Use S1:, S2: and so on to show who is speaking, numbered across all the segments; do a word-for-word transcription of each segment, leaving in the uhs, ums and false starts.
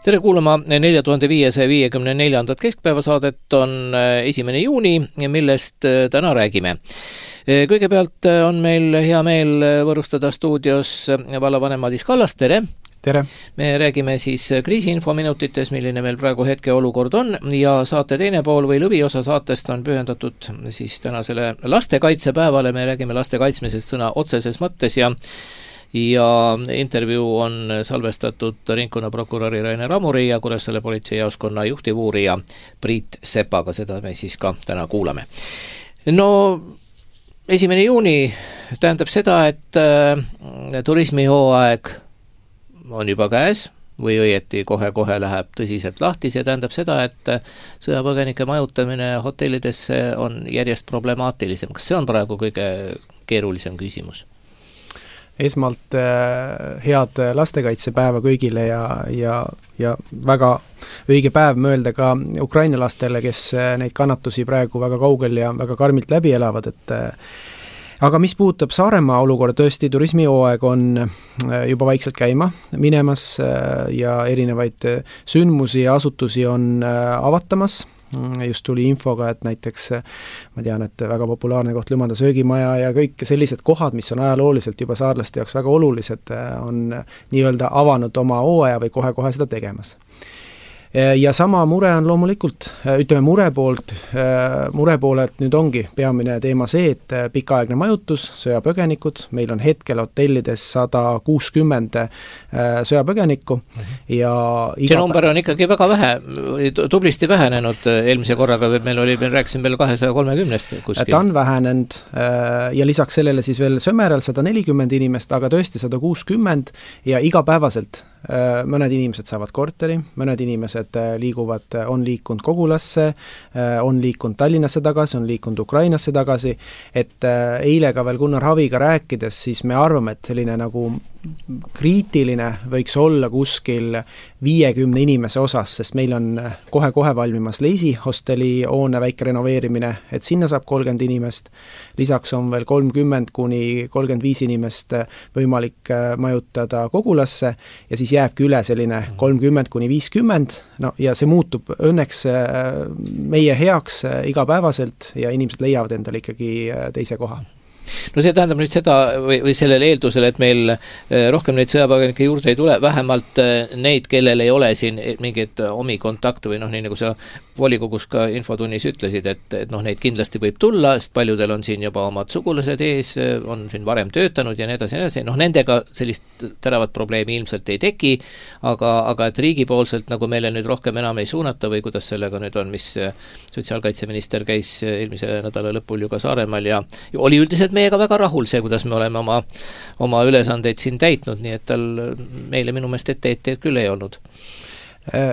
S1: tere kuulama nelja tuhande viiesaja viiekümne neljandat keskpäevasaadet on esimene juuni, millest täna räägime. Kõigepealt on meil hea meel võrustada stuudios vallavanem Madis Kallas, tere!
S2: Tere!
S1: Me räägime siis kriisiinfominutites, milline meil praegu hetke olukord on ja saate teine pool või lõviosa saatest on pühendatud siis tänasele lastekaitsepäevale. Me räägime laste kaitsmisest sõna otseses mõttes ja ja intervjuu on salvestatud ringkonnaprokuröri Rainer Amuri ja Kuressaare politseijaoskonna juhtivuurija Priit Sepaga. Seda me siis ka täna kuulame. No, esimene juuni tähendab seda, et äh, turismihooaeg on juba käes või õieti kohe-kohe läheb tõsiselt lahti. See tähendab seda, et sõjapõgenike majutamine hotellidesse on järjest problemaatilisem. Kas see on praegu kõige keerulisem küsimus?
S2: Esmalt head lastekaitsepäeva kõigile ja, ja, ja väga õige päev mõelda ka Ukraina lastele, kes neid kannatusi praegu väga kaugel ja väga karmilt läbi elavad. Et, aga mis puudutab Saaremaa olukorda, tõesti turismihooaeg on juba vaikselt käima minemas ja erinevaid sündmusi ja asutusi on avatamas. Just tuli infoga, et näiteks ma tean, et väga populaarne koht Lümanda söögimaja ja kõik sellised kohad, mis on ajalooliselt juba saarlaste jaoks väga olulised, on nii-öelda avanud oma hooaja või kohe-kohe seda tegemas. Ja sama mure on loomulikult, ütleme mure poolt, mure poolelt nüüd ongi peamine teema see, et pikaaegne majutus, sõjapõgenikud, meil on hetkel hotellides sada kuuskümmend sõjapõgenikku ja
S1: see number on ikkagi väga vähe, tublisti vähenenud eelmise korraga, meil oli, me rääkisime veel kahesaja kolmekümnest kuskil.
S2: Ta on vähenenud ja lisaks sellele siis veel Sömeral sada nelikümmend inimest, aga tõesti sada kuuskümmend ja igapäevaselt mõned inimesed saavad korteri, mõned inimesed liiguvad, on liikunud Kogulasse, on liikunud Tallinnasse tagasi, on liikunud Ukrainasse tagasi, et eile ka veel Gunnar Haviga rääkides, siis me arvame, et selline nagu kriitiline võiks olla kuskil viiekümne inimese osas, sest meil on kohe-kohe valmimas Leisi hosteli hoone väike renoveerimine, et sinna saab kolmkümmend inimest, lisaks on veel kolmkümmend kuni kolmkümmend viis inimest võimalik majutada Kogulasse ja siis jääbki üle selline kolmkümmend kuni viiskümmend, no ja see muutub õnneks meie heaks igapäevaselt ja inimesed leiavad endale ikkagi teise koha.
S1: No see tähendab nüüd seda või, või sellel eeldusel, et meil rohkem neid sõjapõgenike juurde ei tule, vähemalt neid, kellel ei ole siin mingeid omi kontakte või noh, nii nagu sa volikogus ka infotunnis ütlesid, et, et noh, neid kindlasti võib tulla, sest paljudel on siin juba omad sugulased ees, on siin varem töötanud ja nii edasi, nii edasi. Noh, nendega sellist teravat probleemi ilmselt ei teki, aga, aga et riigipoolselt nagu meile nüüd rohkem enam ei suunata või kuidas sellega nüüd on, mis sotsiaalkaitseminister käis eelmise nädala lõpul ju ka Saaremaal ja oli üldiselt meiega väga rahul see, kuidas me oleme oma, oma ülesandeid siin täitnud, nii et tal meile minu meelest ette-etteid küll ei olnud.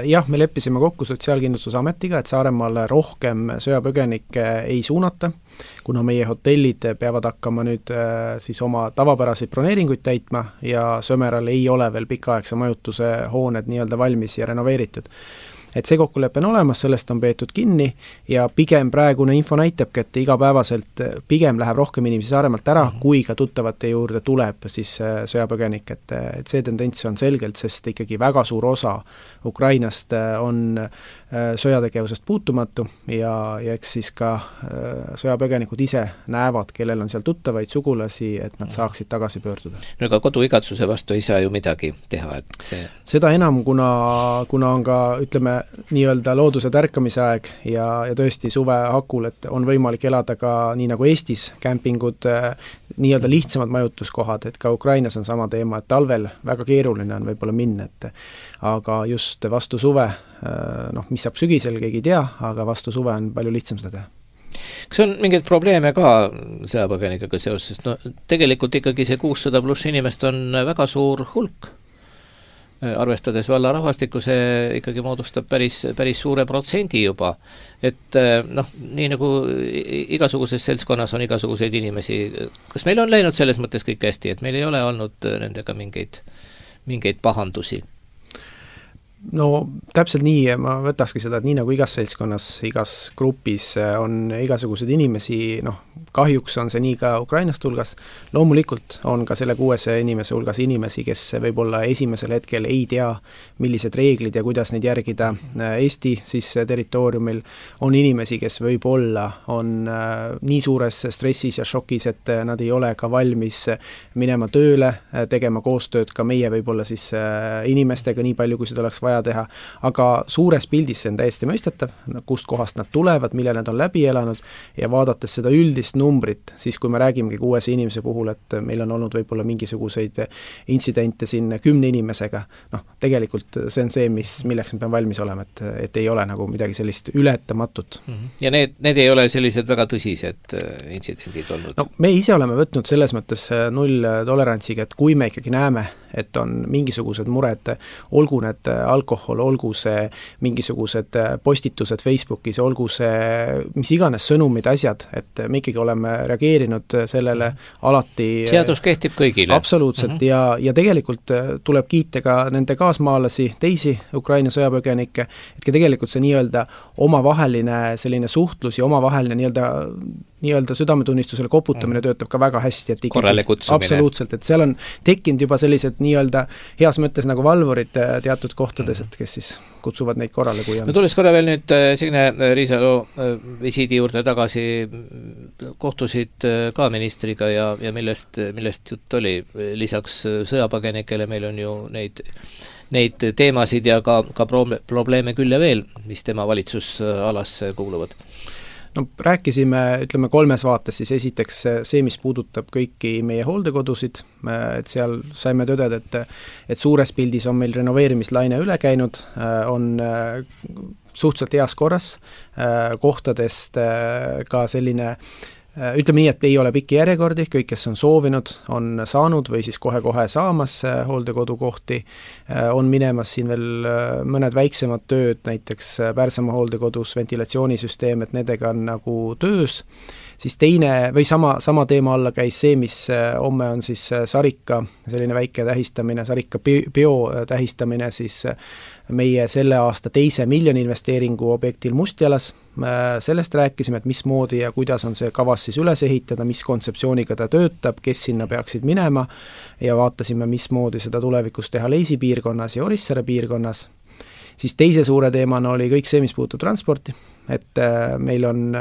S2: Jah, me leppisime kokku Sotsiaalkindlustusametiga, et Saaremaale rohkem sõjapõgenikke ei suunata, kuna meie hotellid peavad hakkama nüüd siis oma tavapäraseid broneeringuid täitma ja Sömeral ei ole veel pikaaegse majutuse hooned nii-öelda valmis ja renoveeritud. Et see kokkulepe on olemas, sellest on peetud kinni ja pigem praegune info näitabki, et igapäevaselt pigem läheb rohkem inimesi Saaremaalt ära, kui ka tuttavate juurde tuleb siis sõjapõgenik, et, et see tendents on selgelt, sest ikkagi väga suur osa Ukrainast on sõjategevusest puutumatu ja, ja eks siis ka sõjapõgenikud ise näevad, kellel on seal tuttavaid sugulasi, et nad saaksid tagasi pöörduda.
S1: No aga koduigatsuse vastu ei saa ju midagi teha, et see...
S2: Seda enam, kuna, kuna on ka, ütleme, nii-öelda looduse tärkamise aeg ja, ja tõesti suve hakul, et on võimalik elada ka nii nagu Eestis kämpingud, nii-öelda lihtsamad majutuskohad, et ka Ukrainas on sama teema, et talvel väga keeruline on võib-olla minna, et aga just vastu suve, noh, mis saab sügisel, keegi ei tea, aga vastu suve on palju lihtsam seda teha.
S1: Kas on mingeid probleeme ka sõjapõgenikega seoses? No, tegelikult ikkagi see kuussada pluss inimest on väga suur hulk. Arvestades valla rahvastikku, see ikkagi moodustab päris, päris suure protsendi juba. Et noh, nii nagu igasuguses seltskonnas on igasuguseid inimesi. Kas meil on läinud selles mõttes kõik hästi, et meil ei ole olnud nendega mingeid, mingeid pahandusi?
S2: no täpselt nii, ma võtakski seda, et nii nagu igas seltskonnas, igas grupis on igasuguseid inimesi, noh, kahjuks on see nii ka Ukrainast hulgas, loomulikult on ka selle kuuesaja inimese hulgas inimesi, kes võib-olla esimesel hetkel ei tea, millised reeglid ja kuidas neid järgida Eesti siis territooriumil, on inimesi, kes võib-olla on nii suures stressis ja šokis, et nad ei ole ka valmis minema tööle, tegema koostööd ka meie võib-olla siis inimestega nii palju, kui seda oleks vaja teha, aga suures pildis see on täiesti mõistetav, kust kohast nad tulevad, mille nad on läbi elanud ja vaadates seda üldist numbrit, siis kui me räägimegi kuuese inimese puhul, et meil on olnud võib-olla mingisuguseid intsidente siin kümne inimesega, noh, tegelikult see on see, mis, milleks me peame valmis olema, et, et ei ole nagu midagi sellist ületamatut.
S1: Ja need, need ei ole sellised väga tõsised intsidendid olnud?
S2: No me ise oleme võtnud selles mõttes null tolerantsiga, et kui me ikkagi näeme, et on mingisugused mured, olgu need alkohol, olgu see mingisugused postitused Facebookis, olgu see mis iganes sõnumid, asjad, et me ikkagi oleme reageerinud sellele alati.
S1: Seadus kehtib kõigile.
S2: Absoluutselt mm -hmm. ja, ja tegelikult tuleb kiita ka nende kaasmaalasi, teisi Ukraina sõjapõgenikke, et ka tegelikult see nii-öelda omavaheline selline suhtlus ja omavaheline nii-öelda nii-öelda südametunnistusele koputamine töötab ka väga hästi, et
S1: korrale kutsumine.
S2: Absoluutselt, et seal on tekkinud juba sellised nii-öelda heas mõttes nagu valvurid teatud kohtades, et kes siis kutsuvad neid korrale, kui on.
S1: No tulles korra veel nüüd Signe Riisalo visiidi juurde tagasi, kohtusid ka ministriga ja, ja millest, millest jutt oli, lisaks sõjapõgenikele meil on ju neid neid teemasid ja ka, ka probleeme küll ja veel, mis tema valitsusalasse kuuluvad.
S2: No rääkisime, ütleme kolmes vaates, siis esiteks see, mis puudutab kõiki meie hooldekodusid, et seal saime tõdeda, et, et suures pildis on meil renoveerimislaine üle käinud, on suhteliselt heas korras, kohtadest ka selline ütleme nii, et ei ole pikki järjekordi, kõik, kes on soovinud, on saanud või siis kohe-kohe saamas hooldekodukohti, on minemas siin veel mõned väiksemad tööd, näiteks Pärsamaa hooldekodus ventilatsioonisüsteem, et nendega on nagu töös, siis teine või sama, sama teema alla käis see, mis homme on siis Sarika, selline väike tähistamine, Sarika bio tähistamine siis meie selle aasta teise miljoni investeeringu objektil Mustjalas, sellest rääkisime, et mismoodi ja kuidas on see kavas siis üles ehitada, mis kontseptsiooniga ta töötab, kes sinna peaksid minema ja vaatasime, mismoodi seda tulevikus teha Leisi piirkonnas ja Orissaare piirkonnas. Siis teise suure teemana oli kõik see, mis puutub transporti, et meil on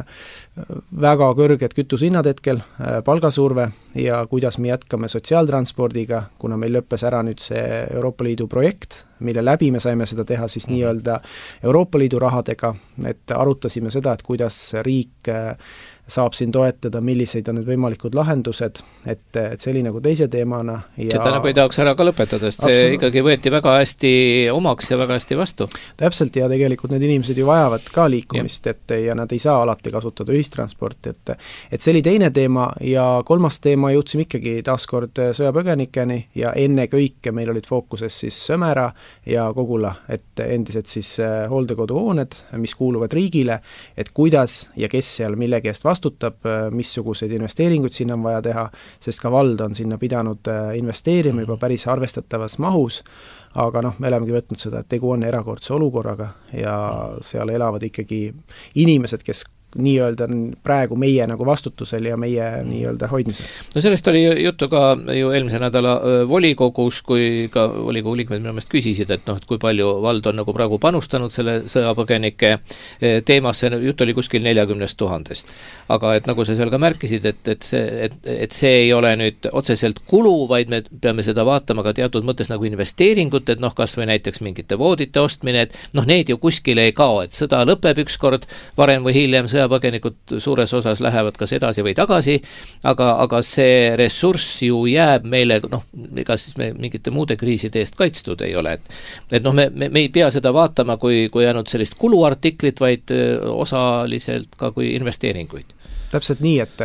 S2: väga kõrged kütushinnad hetkel, palgasurve ja kuidas me jätkame sotsiaaltranspordiga, kuna meil lõppes ära nüüd see Euroopa Liidu projekt, mille läbi me saime seda teha siis nii-öelda Euroopa Liidu rahadega, et arutasime seda, et kuidas riik saab siin toetada, milliseid on need võimalikud lahendused, et, et see oli nagu teise teemana. Ja
S1: seda nagu ei tahaks ära ka lõpetada, sest see ikkagi võeti väga hästi omaks ja väga hästi vastu.
S2: Täpselt, ja tegelikult need inimesed ju vajavad ka liikumist, et ja nad ei saa alati kasutada ühistransporti, et, et see oli teine teema ja kolmas teema jõudsime ikkagi taaskord sõjapõgenikeni ja enne kõike meil olid fookuses siis Sõmera ja Kogula, et endised siis hooldekoduhooned, mis kuuluvad riigile, et kuidas ja kes seal millegi eest vastutab, missuguseid investeeringuid sinna on vaja teha, sest ka vald on sinna pidanud investeerima juba päris arvestatavas mahus, aga noh, me olemegi võtnud seda, et tegu on erakordse olukorraga ja seal elavad ikkagi inimesed, kes nii-öelda praegu meie nagu vastutusel ja meie nii-öelda hoidmisel.
S1: No sellest oli juttu ka ju eelmise nädala volikogus, kui ka volikogu liikmed minu meelest küsisid, et noh, et kui palju vald on nagu praegu panustanud selle sõjapõgenike teemasse, jutt oli kuskil neljakümnest tuhandest. Aga et nagu sa seal ka märkisid, et, et, see, et, et see ei ole nüüd otseselt kulu, vaid me peame seda vaatama ka teatud mõttes nagu investeeringut, et noh, kas või näiteks mingite voodite ostmine, et noh, need ju kuskile ei kao, et sõda lõpeb ükskord, varem või hiljem sõja põgenikud suures osas lähevad kas edasi või tagasi, aga, aga see ressurss ju jääb meile, noh, ega siis me mingite muude kriiside eest kaitstud ei ole, et, et noh, me, me, me ei pea seda vaatama kui, kui ainult sellist kuluartiklit, vaid osaliselt ka kui investeeringuid.
S2: Täpselt nii, et,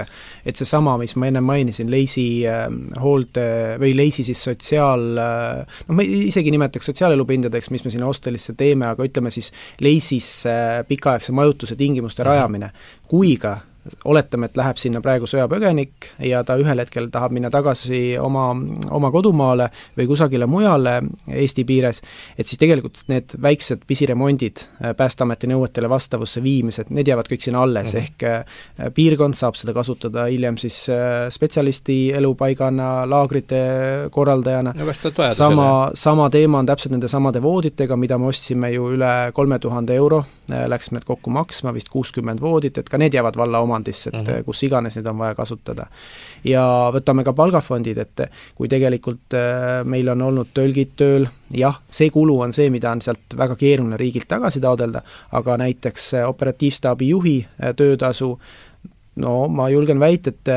S2: et see sama, mis ma enne mainisin, Leisi äh, hoolde või Leisi siis sotsiaal, äh, noh, ma isegi nimetaks sotsiaalelupindadeks, mis me sinna hostelisse teeme, aga ütleme siis Leisis äh, pikaaegse majutuse tingimuste rajamine, kui ka oletame, et läheb sinna praegu sõjapõgenik ja ta ühel hetkel tahab minna tagasi oma, oma kodumaale või kusagile mujale Eesti piires, et siis tegelikult need väiksed pisiremondid, Päästeameti nõuetele vastavusse viimised, need jäävad kõik sinna alles, mm. ehk piirkond saab seda kasutada hiljem siis spetsialisti elupaigana, laagrite korraldajana.
S1: No,
S2: sama, sama teema on täpselt nende samade vooditega, mida me ostsime ju üle kolme tuhande euro, läks need kokku maksma, vist kuuskümmend voodit, et ka need jäävad valla omandisse, et uh-huh. kus iganes need on vaja kasutada. Ja võtame ka palgafondid, et kui tegelikult meil on olnud tõlgid tööl, jah, see kulu on see, mida on sealt väga keeruline riigilt tagasi taodelda, aga näiteks operatiivstaabi juhi töötasu, no ma julgen väita, et,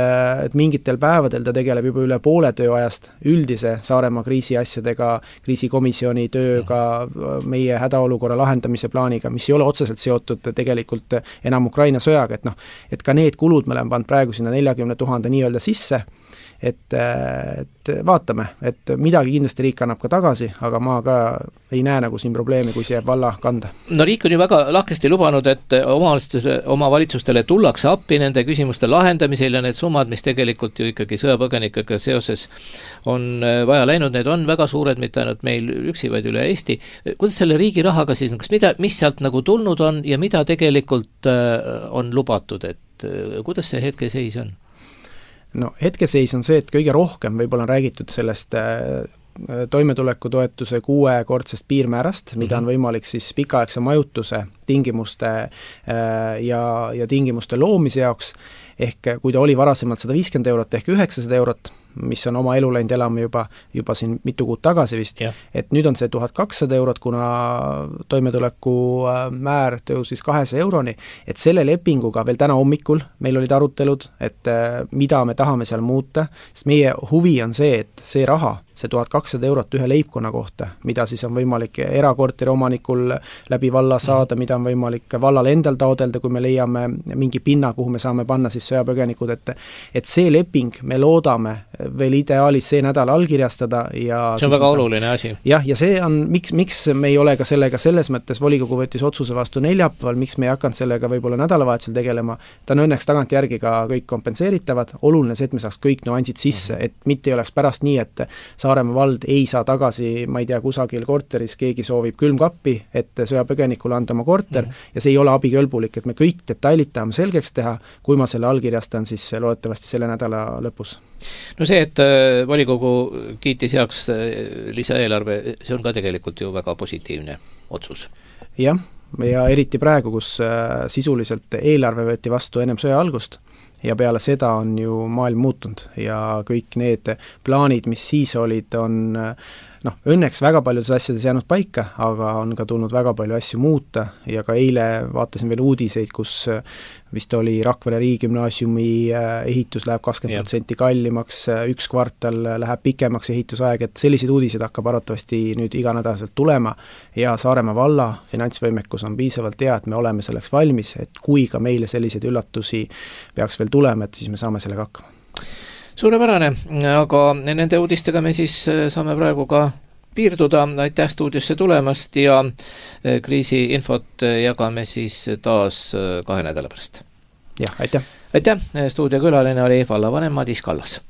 S2: et mingitel päevadel ta tegeleb juba üle poole tööajast üldise Saaremaa kriisiasjadega, kriisikomisjoni tööga, meie hädaolukorra lahendamise plaaniga, mis ei ole otseselt seotud tegelikult enam Ukraina sõjaga, et noh, et ka need kulud me oleme pannud praegu sinna neljakümne tuhande nii-öelda sisse, et, et vaatame, et midagi kindlasti riik annab ka tagasi, aga ma ka ei näe nagu siin probleemi, kui see jääb valla kanda.
S1: No riik on ju väga lahkesti lubanud, et omavalitsustele tullakse appi nende küsimuste lahendamisel ja need summad, mis tegelikult ju ikkagi sõjapõgenikega seoses on vaja läinud, need on väga suured, mitte ainult meil üksi, vaid üle Eesti. Kuidas selle riigi rahaga siis, kas mida, mis sealt nagu tulnud on ja mida tegelikult on lubatud, et kuidas see hetkeseis on?
S2: No hetkeseis on see, et kõige rohkem võib-olla on räägitud sellest toimetulekutoetuse kuuekordsest piirmäärast, mida on võimalik siis pikaaegse majutuse tingimuste ja, ja tingimuste loomise jaoks, ehk kui ta oli varasemalt sada viiskümmend eurot ehk üheksasada eurot, mis on oma elu läinud elama juba, juba siin mitu kuud tagasi vist, yeah. et nüüd on see tuhat kakssada eurot, kuna toimetuleku määr tõusis kahesaja euroni, et selle lepinguga veel täna hommikul meil olid arutelud, et mida me tahame seal muuta, sest meie huvi on see, et see raha, see tuhat kakssada eurot ühe leibkonna kohta, mida siis on võimalik erakorteri omanikul läbi valla saada, mida on võimalik vallal endal taodelda, kui me leiame mingi pinna, kuhu me saame panna siis sõjapõgenikud, et, et see leping, me loodame veel ideaalis see nädal allkirjastada ja
S1: see on väga saame... oluline asi.
S2: jah, ja see on, miks, miks me ei ole ka sellega selles mõttes, volikogu võttis otsuse vastu neljapäeval, miks me ei hakanud sellega võib-olla nädalavahetusel tegelema, ta on õnneks tagantjärgi ka kõik kompenseeritavad, oluline see, et me saaks kõik nüansid sisse, et mitte ei oleks pärast nii, et Saaremaa vald ei saa tagasi, ma ei tea, kusagil korteris keegi soovib külmkappi, et sõjapõgenikule anda oma korter mm. ja see ei ole abikõlbulik, et me kõik detailid tahame selgeks teha, kui ma selle allkirjastan, siis loodetavasti selle nädala lõpus.
S1: No see, et volikogu kiitis heaks lisaeelarve, see on ka tegelikult ju väga positiivne otsus.
S2: Jah, ja eriti praegu, kus sisuliselt eelarve võeti vastu ennem sõja algust ja peale seda on ju maailm muutunud ja kõik need plaanid, mis siis olid, on noh, õnneks väga paljudes asjades jäänud paika, aga on ka tulnud väga palju asju muuta ja ka eile vaatasin veel uudiseid, kus vist oli Rakvere riigigümnaasiumi ehitus läheb kakskümmend protsenti kallimaks, üks kvartal läheb pikemaks ehitusaeg, et selliseid uudiseid hakkab arvatavasti nüüd iganädalaselt tulema ja Saaremaa valla finantsvõimekus on piisavalt hea, et me oleme selleks valmis, et kui ka meile selliseid üllatusi peaks veel tulema, et siis me saame sellega hakkama.
S1: Suurepärane, aga nende uudistega me siis saame praegu ka piirduda, aitäh stuudiosse tulemast ja kriisiinfot jagame siis taas kahe nädala pärast.
S2: Jah, aitäh.
S1: Aitäh, stuudiokülaline oli vallavanem Madis Kallas.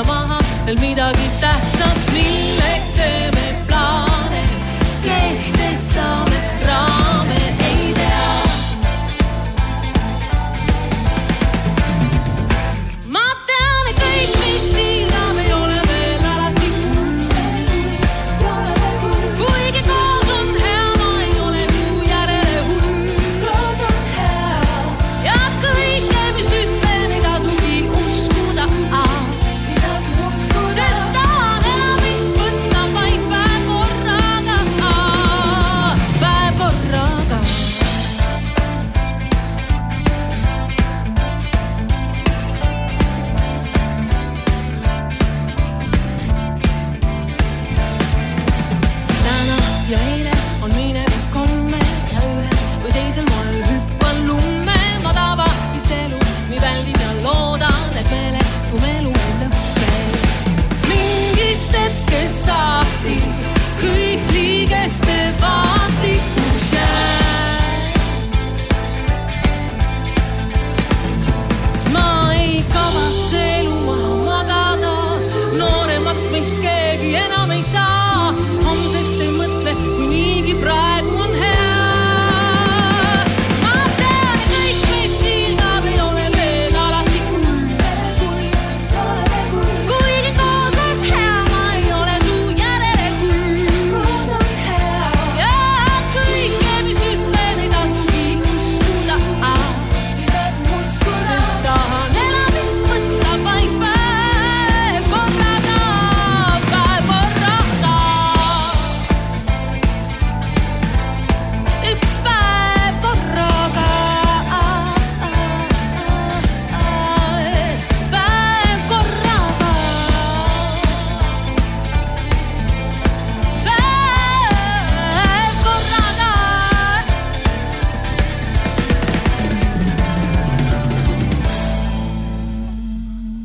S3: Maha veel midagi tähtsat, milleks teeme plaane, kehtestame raame, ei tea. Ma tean, et kõik, mis siin on, ei ole veel alati kuigi koos on hea, ma ei ole su järele hull ja kõike, mis ütlen, ei tasugi uskuda. Sest tahan elamist võtta vaid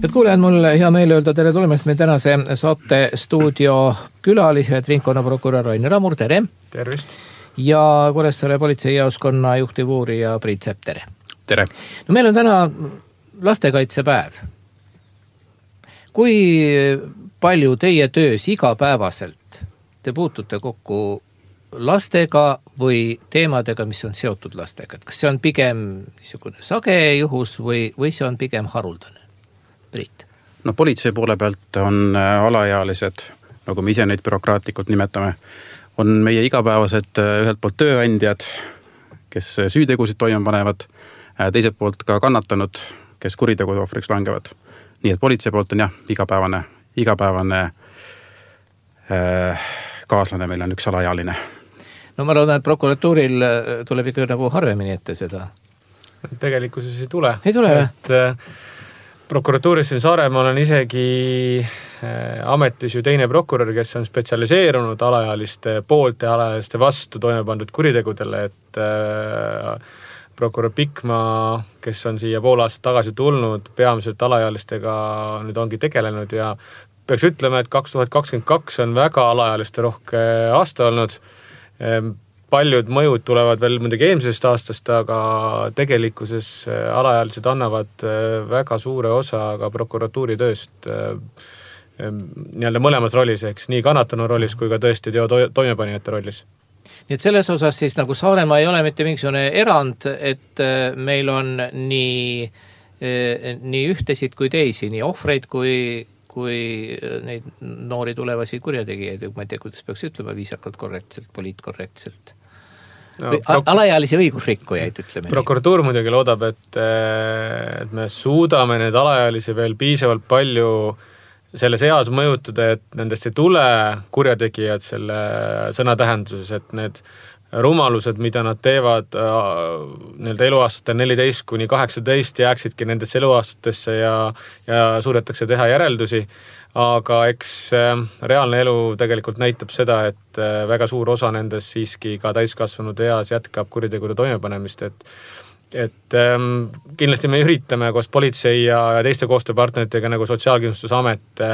S1: et kuulejad, mul hea meel öelda tere tulemast meie tänase saate stuudio külalised, ringkonnaprokurör Rainer Ramur, tere!
S2: Tervist!
S1: Ja Kuressaare politseijaoskonna juhtivuurija Priit Sepp, tere!
S4: Tere!
S1: No meil on täna lastekaitsepäev. Kui palju teie töös igapäevaselt te puutute kokku lastega või teemadega, mis on seotud lastega? Kas see on pigem niisugune sage juhus või, või see on pigem haruldane? Priit?
S4: No politsei poole pealt on alaealised, nagu me ise neid bürokraatlikult nimetame, on meie igapäevased ühelt poolt tööandjad, kes süütegusid toime panevad, teiselt poolt ka kannatanud, kes kuritegude ohvriks langevad. Nii et politsei poolt on jah, igapäevane, igapäevane äh, kaaslane meil on üks alaealine.
S1: No ma loodan, et prokuratuuril tuleb ikka nagu harvemini ette seda.
S5: Tegelikkuses ei tule.
S1: Ei tule,
S5: et äh, prokuratuuris siin Saaremaal on isegi äh, ametis ju teine prokurör, kes on spetsialiseerunud alaealiste poolt ja alaealiste vastu toime pandud kuritegudele, et äh, prokurör Pikma, kes on siia pool aastat tagasi tulnud, peamiselt alaealistega nüüd ongi tegelenud ja peaks ütlema, et kaks tuhat kakskümmend kaks on väga alaealiste rohke aasta olnud. Paljud mõjud tulevad veel muidugi eelmisest aastast, aga tegelikkuses alaealised annavad väga suure osa ka prokuratuuri tööst nii-öelda mõlemas rollis, ehk nii kannatanu rollis kui ka tõesti teo toimepanijate rollis.
S1: Nii et selles osas siis nagu Saaremaa ei ole mitte mingisugune erand, et meil on nii, nii ühtesid kui teisi, nii ohvreid kui kui neid noori tulevasi kurjategijaid, ma ei tea, kuidas peaks ütlema, viisakalt korrektselt, poliitkorrektselt. No, pro- alaealisi õigusrikkujaid, ütleme.
S5: Prokuratuur muidugi loodab, et, et me suudame need alaealisi veel piisavalt palju selles eas mõjutada, et nendest ei tule kurjategijad selle sõna tähenduses, et need rumalused, mida nad teevad nii-öelda eluaastatel neliteist kuni kaheksateist jääksidki nendesse eluaastatesse ja, ja suudetakse teha järeldusi, aga eks reaalne elu tegelikult näitab seda, et väga suur osa nendest siiski ka täiskasvanud eas jätkab kuritegude toimepanemist, et et ähm, kindlasti me üritame koos politsei ja, ja teiste koostööpartneritega nagu Sotsiaalkindlustusamet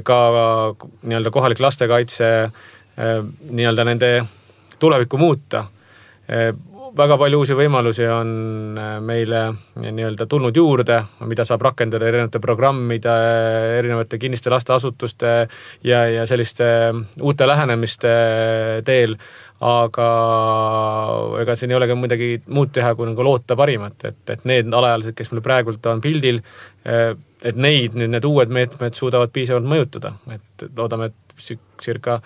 S5: ka nii-öelda kohalik lastekaitse nii-öelda nende tulevikku muuta. Väga palju uusi võimalusi on meile nii-öelda tulnud juurde, mida saab rakendada erinevate programmide, erinevate kinniste lasteasutuste ja, ja selliste uute lähenemiste teel, aga ega siin ei olegi midagi muud teha, kui nagu loota parimat, et, et need alaealised, kes meil praegult on pildil, et neid nüüd need uued meetmed suudavad piisavalt mõjutada, et loodame, et circa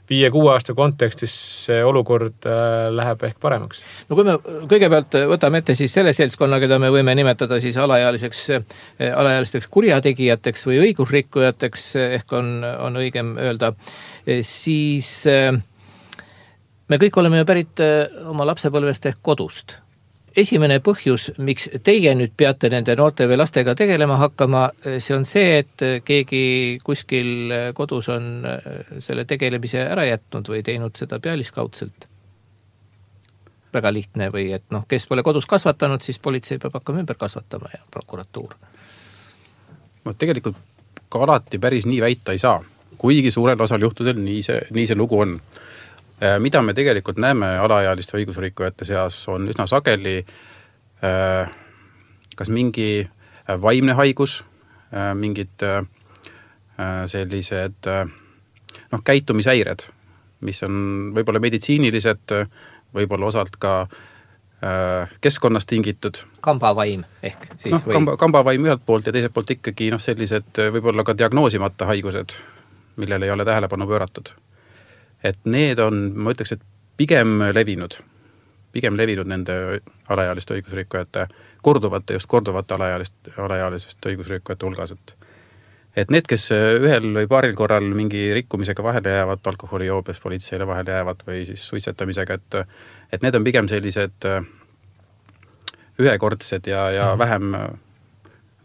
S5: viie-kuue aasta kontekstis see olukord läheb ehk paremaks.
S1: No kui me kõigepealt võtame ette siis selle seltskonna, keda me võime nimetada siis alaealiseks, alaealisteks kurjategijateks või õigusrikkujateks, ehk on, on õigem öelda, siis me kõik oleme ju pärit oma lapsepõlvest ehk kodust. Esimene põhjus, miks teie nüüd peate nende noorte või lastega tegelema hakkama, see on see, et keegi kuskil kodus on selle tegelemise ära jätnud või teinud seda pealiskaudselt. Väga lihtne või et noh, kes pole kodus kasvatanud, siis politsei peab hakkama ümber kasvatama ja prokuratuur.
S4: No, tegelikult ka alati päris nii väita ei saa, kuigi suurel osal juhtudel nii see, nii see lugu on. Mida me tegelikult näeme alaealiste õigusrikkujate seas on üsna sageli kas mingi vaimne haigus, mingid sellised noh, käitumishäired, mis on võib-olla meditsiinilised, võib-olla osalt ka keskkonnast tingitud.
S1: Kambavaim ehk siis
S4: no,
S1: või?
S4: Kamba, kambavaim ühelt poolt ja teiselt poolt ikkagi noh, sellised võib-olla ka diagnoosimata haigused, millele ei ole tähelepanu pööratud. Et need on, ma ütleks, et pigem levinud, pigem levinud nende alaealiste õigusrikkujate, korduvate, just korduvate alaealist, alaealisest õigusrikkujate hulgas. Et, et need, kes ühel või paaril korral mingi rikkumisega vahele jäävad, alkoholijoobes politseile vahele jäävad või siis suitsetamisega, et, et need on pigem sellised ühekordsed ja, ja vähem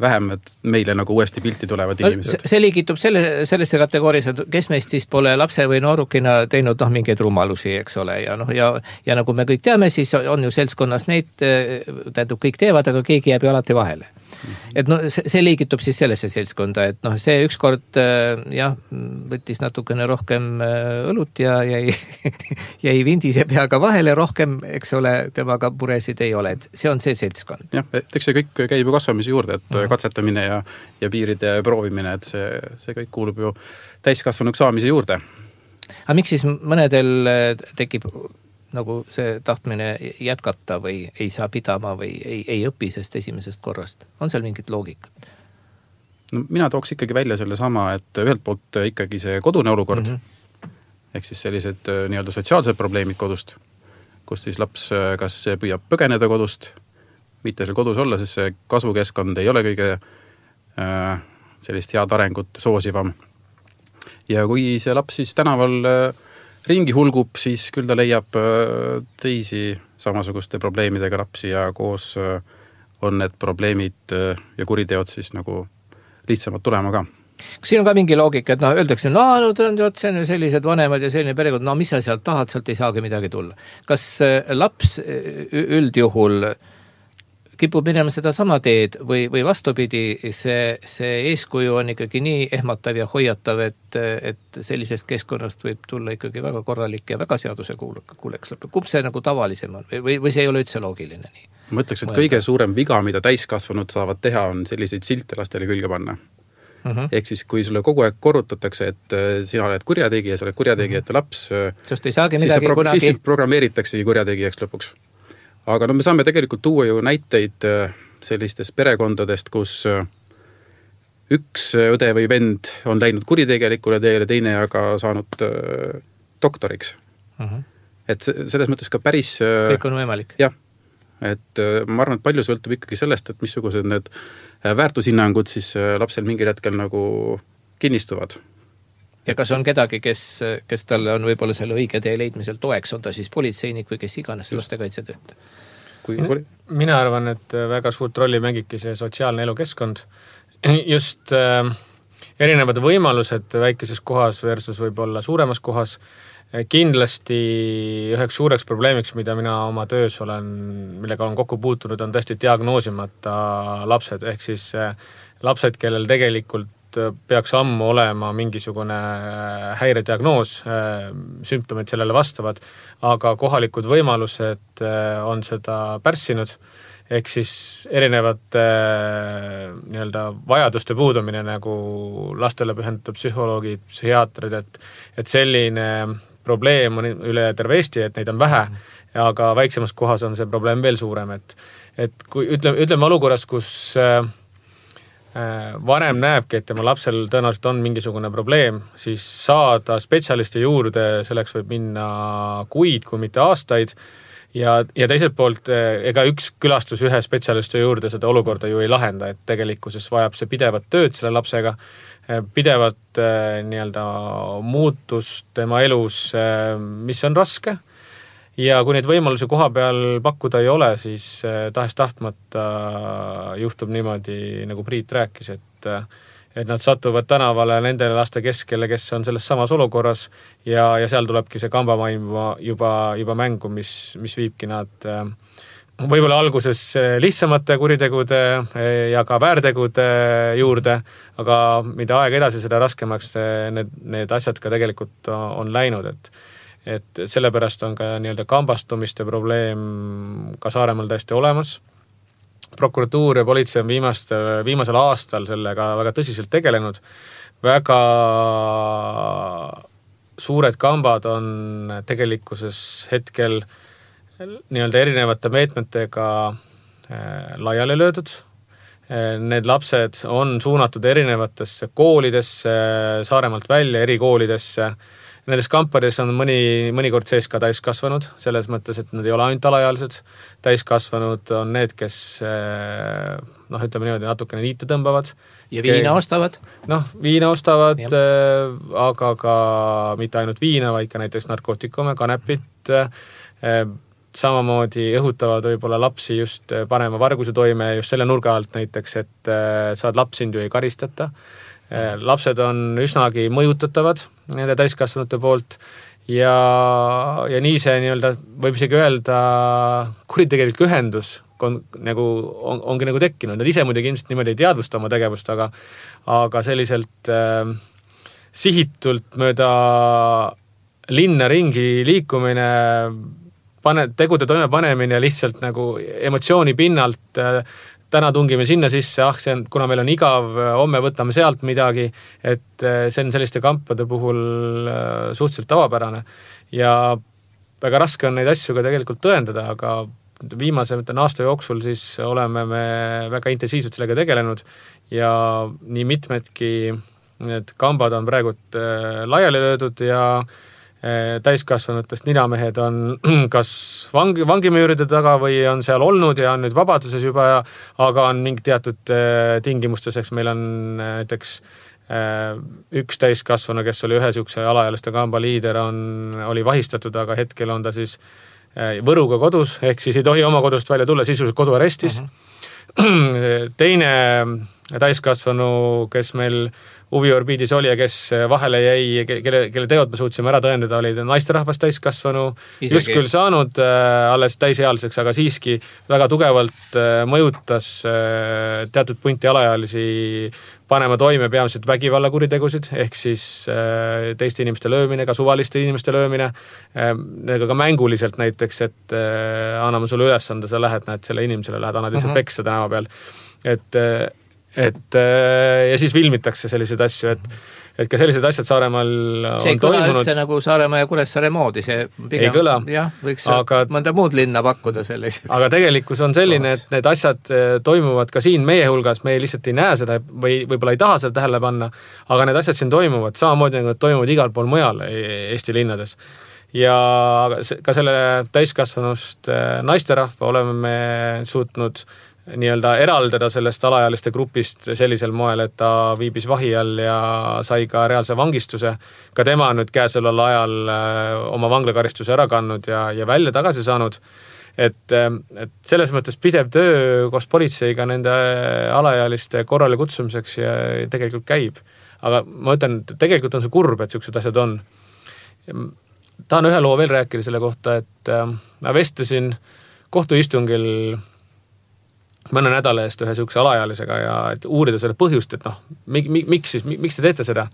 S4: vähem, et meile nagu uuesti pilti tulevad inimesed.
S1: See liigitub selle, sellesse kategoorias, et kes meist siis pole lapse või noorukina teinud noh, mingeid rumalusi, eks ole, ja, noh, ja, ja nagu me kõik teame, siis on ju seltskonnas neid, tähendab, kõik teevad, aga keegi jääb ju alati vahele. et no see, see liigitub siis sellesse seltskonda, et noh, see ükskord jah, võttis natukene rohkem õlut ja jäi, jäi vindise peaga vahele rohkem, eks ole, temaga muresid ei ole, et see on see seltskond.
S4: jah, eks see kõik käib ju kasvamise juurde, et mm. katsetamine ja, ja piiride proovimine, et see, see kõik kuulub ju täiskasvanuks saamise juurde.
S1: Aga miks siis mõnedel tekib nagu see tahtmine jätkata või ei saa pidama või ei, ei õpi sest esimesest korrast? On seal mingit loogikat?
S4: No, mina tooks ikkagi välja selle sama, et ühelt poolt ikkagi see kodune olukord, mm-hmm. ehk siis sellised nii-öelda sotsiaalsed probleemid kodust, kus siis laps kas püüab põgeneda kodust, mitte seal kodus olla, sest see kasvukeskkond ei ole kõige äh, sellist head arengut soosivam. Ja kui see laps siis tänaval äh, ringi hulgub, siis küll ta leiab teisi samasuguste probleemidega lapsi ja koos on need probleemid ja kuriteod siis nagu lihtsamalt tulema ka.
S1: Kas siin on ka mingi loogika, et no öeldakse, no, no see on ju sellised vanemad ja selline perekond, no mis sa sealt tahad, sealt ei saagi midagi tulla. Kas laps üldjuhul kipub minema seda sama teed või, või vastupidi, see, see eeskuju on ikkagi nii ehmatav ja hoiatav, et, et sellisest keskkonnast võib tulla ikkagi väga korralik ja väga seaduse kuuleks lõpeb. Kumb see nagu tavalisem on või, või see ei ole üldse loogiline nii?
S4: Ma ütleks, et kõige suurem viga, mida täiskasvanud saavad teha, on selliseid silte lastele külge panna. Uh-huh. Ehk siis, kui sulle kogu aeg korrutatakse, et sina oled kurjategija, sa oled kurjategijate laps,
S1: sest ei saagi midagi
S4: pro-
S1: kunagi...
S4: siis programmeeritaksegi kurjategijaks lõpuks. Aga no me saame tegelikult tuua ju näiteid sellistest perekondadest, kus üks õde või vend on läinud kuritegelikule teele, teine aga saanud doktoriks. Uh-huh. Et selles mõttes ka päris...
S1: Kõik on võimalik.
S4: Jah, et ma arvan, et palju sõltub ikkagi sellest, et missugused need väärtushinnangud siis lapsel mingil hetkel nagu kinnistuvad.
S1: Ja kas on kedagi, kes, kes talle on võib-olla selle õige tee leidmisel toeks, on ta siis politseinik või kes iganes lastekaitsetööta?
S4: Kui...
S5: Mina arvan, et väga suurt rolli mängibki see sotsiaalne elukeskkond. Just äh, erinevad võimalused väikeses kohas versus võib-olla suuremas kohas. Kindlasti üheks suureks probleemiks, mida mina oma töös olen, millega olen kokku puutunud, on tõesti diagnoosimata lapsed, ehk siis äh, lapsed, kellel tegelikult peaks ammu olema mingisugune häirediagnoos, sümptomid sellele vastavad, aga kohalikud võimalused on seda pärssinud, ehk siis erinevate nii-öelda vajaduste puudumine, nagu lastele pühendatud psühholoogid, psühhiaatrid, et, et selline probleem on üle terve Eesti, et neid on vähe, aga väiksemas kohas on see probleem veel suurem, et, et kui ütleme, ütleme olukorras, kus vanem näebki, et tema lapsel tõenäoliselt on mingisugune probleem, siis saada spetsialisti juurde, selleks võib minna kuid, kui mitte aastaid, ja, ja teiselt poolt ega üks külastus ühe spetsialisti juurde seda olukorda ju ei lahenda, et tegelikkuses vajab see pidevat tööd selle lapsega, pidevat nii-öelda muutust tema elus, mis on raske. Ja kui neid võimalusi koha peal pakkuda ei ole, siis tahes tahtmata juhtub niimoodi, nagu Priit rääkis, et, et nad satuvad tänavale nendele laste keskele, kes on selles samas olukorras ja, ja seal tulebki see kambamaim juba, juba mängu, mis, mis viibki nad võib-olla alguses lihtsamate kuritegude ja ka väärtegude juurde, aga mida aeg edasi, seda raskemaks need, need asjad ka tegelikult on läinud, et et sellepärast on ka nii-öelda kambastumiste probleem ka Saaremaal täiesti olemas. Prokuratuur ja politsei on viimast, viimasel aastal sellega väga tõsiselt tegelenud. Väga suured kambad on tegelikkuses hetkel nii-öelda erinevate meetmetega laiali löödud. Need lapsed on suunatud erinevatesse koolidesse, Saaremaalt välja erikoolidesse. Nendes kampades on mõni, mõnikord sees ka täiskasvanud, selles mõttes, et nad ei ole ainult alaealised. Täiskasvanud on need, kes noh, ütleme niimoodi natukene niite tõmbavad.
S1: Ja viina ostavad?
S5: Noh, viina ostavad, äh, aga ka mitte ainult viina, vaid ka näiteks narkootikume, kanepit. Äh, samamoodi õhutavad võib-olla lapsi just panema varguse toime just selle nurga alt näiteks, et äh, saad laps sind ju ei karistata. Lapsed on üsnagi mõjutatavad nende täiskasvanute poolt ja, ja nii see nii-öelda võib isegi öelda kuritegelik ühendus on, nagu, on, ongi nagu tekkinud. Nad ise muidugi ilmselt niimoodi ei teadvusta oma tegevust, aga, aga selliselt äh, sihitult mööda linna ringi liikumine, pane, tegude toimepanemine lihtsalt nagu emotsiooni pinnalt, äh, täna tungime sinna sisse, ah, see on, kuna meil on igav, homme võtame sealt midagi, et see on selliste kampade puhul suhteliselt tavapärane. Ja väga raske on neid asju ka tegelikult tõendada, aga viimase mõtlen, aasta jooksul siis oleme me väga intensiivselt sellega tegelenud ja nii mitmedki need kambad on praegult laiali löödud ja täiskasvanutest ninamehed on kas vangi, vangimüüride taga või on seal olnud ja on nüüd vabaduses juba, ja, aga on mingi teatud tingimustes, eks meil on näiteks üks täiskasvanu, kes oli ühe sihukese alaealiste kamba liider, on, oli vahistatud, aga hetkel on ta siis Võruga kodus, ehk siis ei tohi oma kodust välja tulla, sisuliselt koduarestis. Uh-huh. Teine täiskasvanu, kes meil huviorbiidis oli ja kes vahele jäi, kelle, kelle teod me suutsime ära tõendada, oli naisterahvast täiskasvanu, just küll saanud äh, alles täisealiseks, aga siiski väga tugevalt äh, mõjutas äh, teatud punti alaealisi panema toime peamiselt vägivallakuritegusid, ehk siis äh, teiste inimeste löömine, ka suvaliste inimeste löömine, äh, ka mänguliselt näiteks, et äh, anname sulle ülesande, sa lähed, näed selle inimesele, lähed, annad lihtsalt uh-huh. peksa tänava peal, et äh, et ja siis filmitakse selliseid asju, et, et ka sellised asjad Saaremaal on
S1: see ei kõla
S5: toimunud.
S1: Üldse nagu Saaremaa ja Kuressaare moodi, see pigem,
S5: ei kõla,
S1: jah, võiks
S5: aga,
S1: mõnda muud linna pakkuda selliseks.
S5: Aga tegelikkus on selline, et need asjad toimuvad ka siin meie hulgas, me lihtsalt ei näe seda või võib-olla ei taha seda tähele panna, aga need asjad siin toimuvad, samamoodi nagu toimuvad igal pool mujal Eesti linnades. Ja ka selle täiskasvanust naisterahva oleme me suutnud nii-öelda eraldada sellest alaealiste grupist sellisel moel, et ta viibis vahi all ja sai ka reaalse vangistuse. Ka tema on nüüd käesoleval ajal oma vanglakaristuse ära kandnud ja, ja välja tagasi saanud. Et, et selles mõttes pidev töö koos politseiga nende alaealiste korrale kutsumiseks ja tegelikult käib. Aga ma ütlen, et tegelikult on see kurb, et sellised asjad on. Tahan ühe loo veel rääkida selle kohta, et ma vestlesin kohtuistungil mõne nädala eest ühe sihukese alaealisega ja et uurida selle põhjust, et noh, mik, mik, miks siis, miks te teete seda?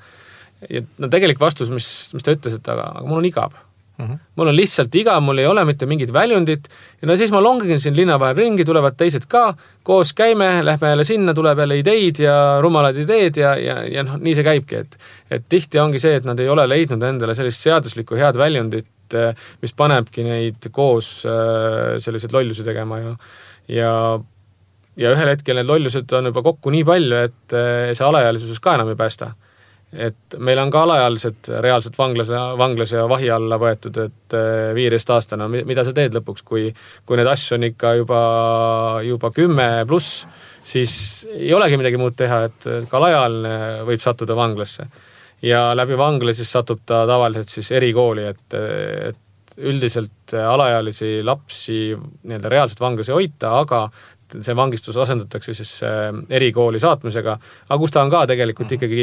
S5: Ja no tegelik vastus, mis, mis ta ütles, et aga, aga mul on igav. Uh-huh. Mul on lihtsalt igav, mul ei ole mitte mingit väljundit ja no siis ma longin siin linna vahel ringi, tulevad teised ka, koos käime, lähme jälle sinna, tuleb jälle ideid ja rumalad ideed ja, ja, ja noh, nii see käibki, et, et tihti ongi see, et nad ei ole leidnud endale sellist seaduslikku head väljundit, mis panebki neid koos sellised lollusi tegema ja, ja ja ühel hetkel need lollused on juba kokku nii palju, et see alaealisus ka enam ei päästa. Et meil on ka alaealised reaalselt vanglas, vanglas ja vahi alla võetud, et viieteist aastane, mida sa teed lõpuks, kui, kui need asju on ikka juba, juba kümme pluss, siis ei olegi midagi muud teha, et ka alaealine võib sattuda vanglasse. Ja läbi vangla siis satub ta tavaliselt siis erikooli, et, et üldiselt alaealisi lapsi nii-öelda reaalselt vanglas ei hoita, aga see vangistus asendatakse siis erikooli saatmisega, aga kus ta on ka tegelikult ikkagi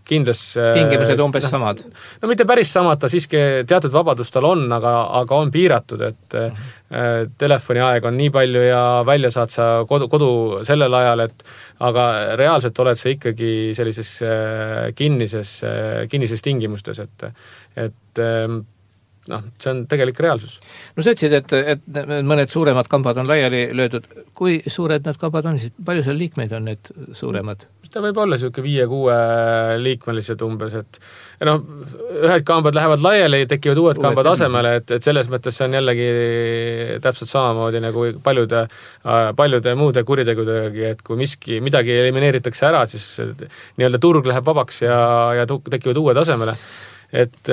S5: kindlas
S1: tingimused umbes no, samad.
S5: No mitte päris samad, ta siiski teatud vabadus tal on, aga, aga on piiratud, et uh-huh. telefoniaeg on nii palju ja välja saad sa kodu, kodu sellel ajal, et aga reaalselt oled sa ikkagi sellises kinnises, kinnises tingimustes, et, et noh, see on tegelik reaalsus.
S1: No sa ütlesid, et, et mõned suuremad kambad on laiali löödud. Kui suured need kambad on, siis palju seal liikmeid on need suuremad?
S5: Ta võib olla selline viie-kuue liikmelised umbes, et noh, ühed kambad lähevad laiali, tekivad uued, uued kambad asemele, et, et selles mõttes see on jällegi täpselt samamoodi nagu paljude, paljude muude kuritegudegi, et kui miski, midagi elimineeritakse ära, siis nii-öelda turg läheb vabaks ja, ja tekivad uued asemele. Et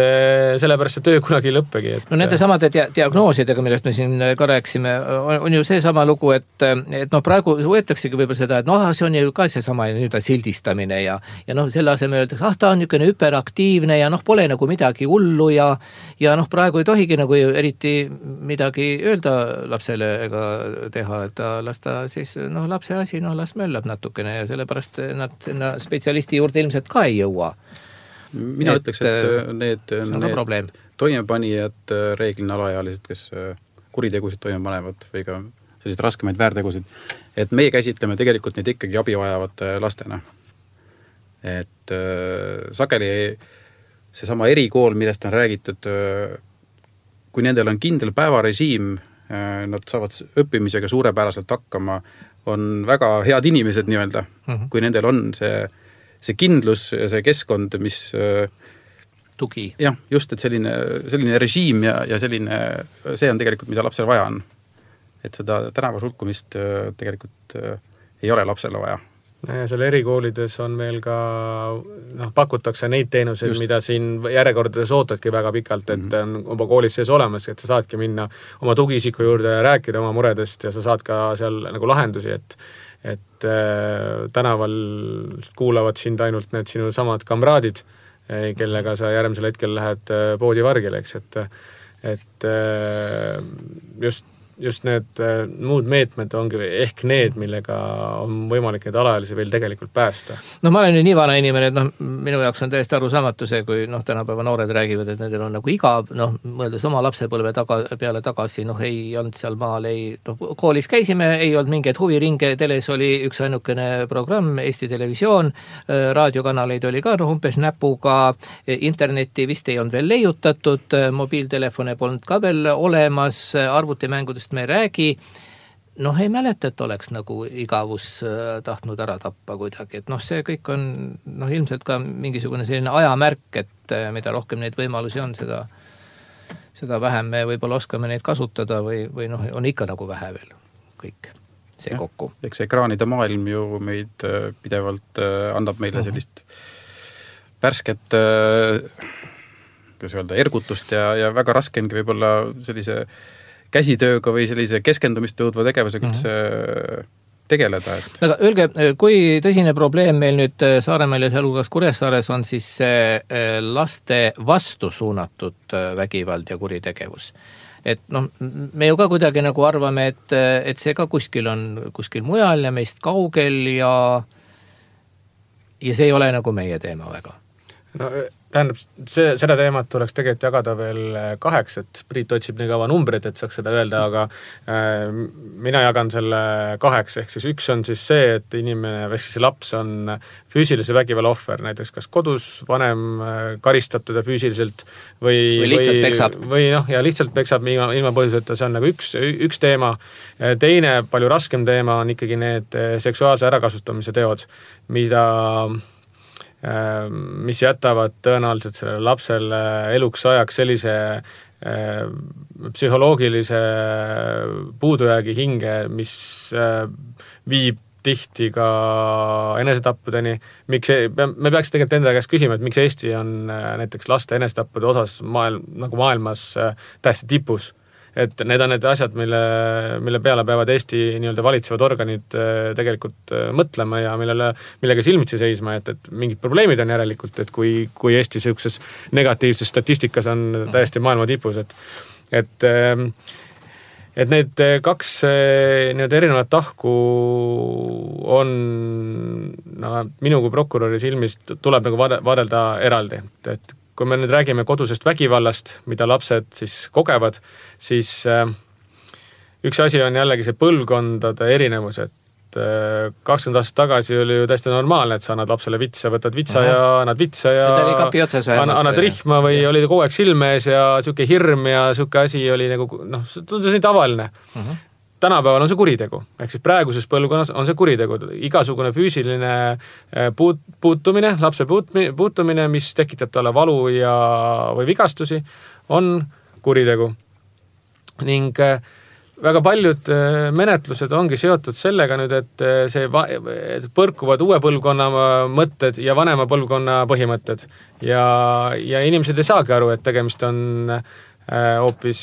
S5: sellepärast see töö kunagi ei lõppegi. Et...
S1: No nende samade dia- diagnoosidega, millest me siin ka rääksime, on, on ju see sama lugu, et, et noh, praegu võetaksegi võib-olla seda, et noh, see on ju ka see sama nüüd sildistamine ja, ja noh, selle asemel öeldakse, ah, ta on niisugune hyperaktiivne ja noh, pole nagu midagi hullu ja, ja noh, praegu ei tohigi nagu eriti midagi öelda lapsele ega teha, et ta las ta siis, noh, lapse asi, noh, las möllab natukene ja sellepärast nad spetsialisti juurde ilmselt ka ei jõua.
S4: Mina et, ütleks, et need, need toimepanijad reeglina alaealised, kes kuritegusid toime panevad või ka selliseid raskemaid väärtegusid, et meie käsitleme tegelikult neid ikkagi abi vajavate lastena. Et äh, sageli seesama erikool, millest on räägitud, äh, kui nendel on kindel päevarežiim, äh, nad saavad õppimisega suurepäraselt hakkama, on väga head inimesed nii-öelda, mm-hmm. kui nendel on see, see kindlus ja see keskkond, mis äh,
S1: tugi.
S4: Jah, just, et selline, selline režiim ja, ja selline, see on tegelikult, mida lapsel vaja on. Et seda tänava sulkumist tegelikult ei ole lapsele vaja.
S5: Ja seal erikoolides on meil ka, noh, pakutakse neid teenuseid, just. Mida siin järjekordades ootadki väga pikalt, et mm-hmm. on juba koolis sees olemas, et sa saadki minna oma tugiisiku juurde ja rääkida oma muredest ja sa saad ka seal nagu lahendusi, et et äh, tänaval kuulavad sind ainult need sinu samad kamraadid, kellega sa järgmisel hetkel lähed poodi vargile, eks, et, et just, just need muud meetmed ongi ehk need, millega on võimalik neid alaealisi veel tegelikult päästa.
S1: No ma olen nüüd nii vana inimene, et noh, minu jaoks on täiesti arusaamatu see, kui noh, tänapäeva noored räägivad, et nendel on nagu igav, noh, mõeldes oma lapsepõlve taga, peale tagasi, noh, ei olnud seal maal, ei, noh, koolis käisime, ei olnud mingeid huviringe, teles oli üks ainukene programm, Eesti Televisioon, raadiokanaleid oli ka, noh, umbes näpuga, internetti vist ei olnud veel leiutatud, mobiiltelefone polnud ka veel olemas, arvutimängudest me ei räägi, noh, ei mäleta, et oleks nagu igavus tahtnud ära tappa kuidagi, et noh, see kõik on noh, ilmselt ka mingisugune selline ajamärk, et mida rohkem neid võimalusi on, seda, seda vähem me võib-olla oskame neid kasutada või, või noh, on ikka nagu vähe veel kõik see ja, kokku.
S4: Eks ekraanide maailm ju meid pidevalt annab meile sellist värsket kuidas öelda, ergutust ja, ja väga raske ongi võib-olla sellise käsitööga või sellise keskendumist tõudva tegevusega üldse mm-hmm. tegeleda. Et... Aga
S1: öelge, kui tõsine probleem meil nüüd Saaremaal ja sealhulgas Kuressaares on siis laste vastu suunatud vägivald ja kuritegevus? Et noh, me ju ka kuidagi nagu arvame, et, et see ka kuskil on kuskil mujal ja meist kaugel ja, ja see ei ole nagu meie teema väga.
S5: No, tähendab, see, seda teemat tuleks tegelikult jagada veel kaheks, et Priit otsib nii kaua numbrid, et saaks seda öelda, aga äh, mina jagan selle kaheks, ehk siis üks on siis see, et inimene, või siis laps on füüsilise vägivalla ohver, näiteks kas kodus vanem karistatud ja füüsiliselt või,
S1: või lihtsalt peksab.
S5: Või noh, ja lihtsalt peksab ilma, ilma põhjuseta, see on nagu üks, üks teema. Teine, palju raskem teema on ikkagi need seksuaalse ärakasutamise teod, mida mis jätavad tõenäoliselt sellele lapsele eluks ajaks sellise äh, psühholoogilise puudujäägi hinge, mis äh, viib tihti ka enesetappudeni. Miks see, me peaks tegelikult enda käest küsima, et miks Eesti on äh, näiteks laste enesetappude osas maailm, nagu maailmas äh, täiesti tipus. Et need on need asjad, mille, mille peale peavad Eesti nii-öelda valitsevad organid tegelikult mõtlema ja millele, millega silmitsi seisma, et, et mingid probleemid on järelikult, et kui, kui Eesti sellises negatiivses statistikas on täiesti maailma tipus, et, et, et need kaks nii-öelda erinevat tahku on no, minu kui prokuröri silmist tuleb nagu vaadelda eraldi, et, et kui me nüüd räägime kodusest vägivallast, mida lapsed siis kogevad, siis äh, üks asi on jällegi see põlvkondade erinevus, et äh, kakskümmend aastat tagasi oli ju täiesti normaalne, et sa annad lapsele vitsa, võtad vitsa uh-huh. ja annad vitsa ja, ja annad, annad rihma või ja. Oli kogu aeg silme ees ja siuke hirm ja siuke asi oli nagu, noh, tundus nii tavaline. Uh-huh. Tänapäeval on see kuritegu, ehk siis praeguses põlvkonnas on see kuritegu, igasugune füüsiline puut, puutumine, lapse puut, puutumine, mis tekitab talle valu ja, või vigastusi, on kuritegu. Ning väga paljud menetlused ongi seotud sellega nüüd, et see va- et põrkuvad uue põlvkonna mõtted ja vanema põlvkonna põhimõtted ja, ja inimesed ei saagi aru, et tegemist on hoopis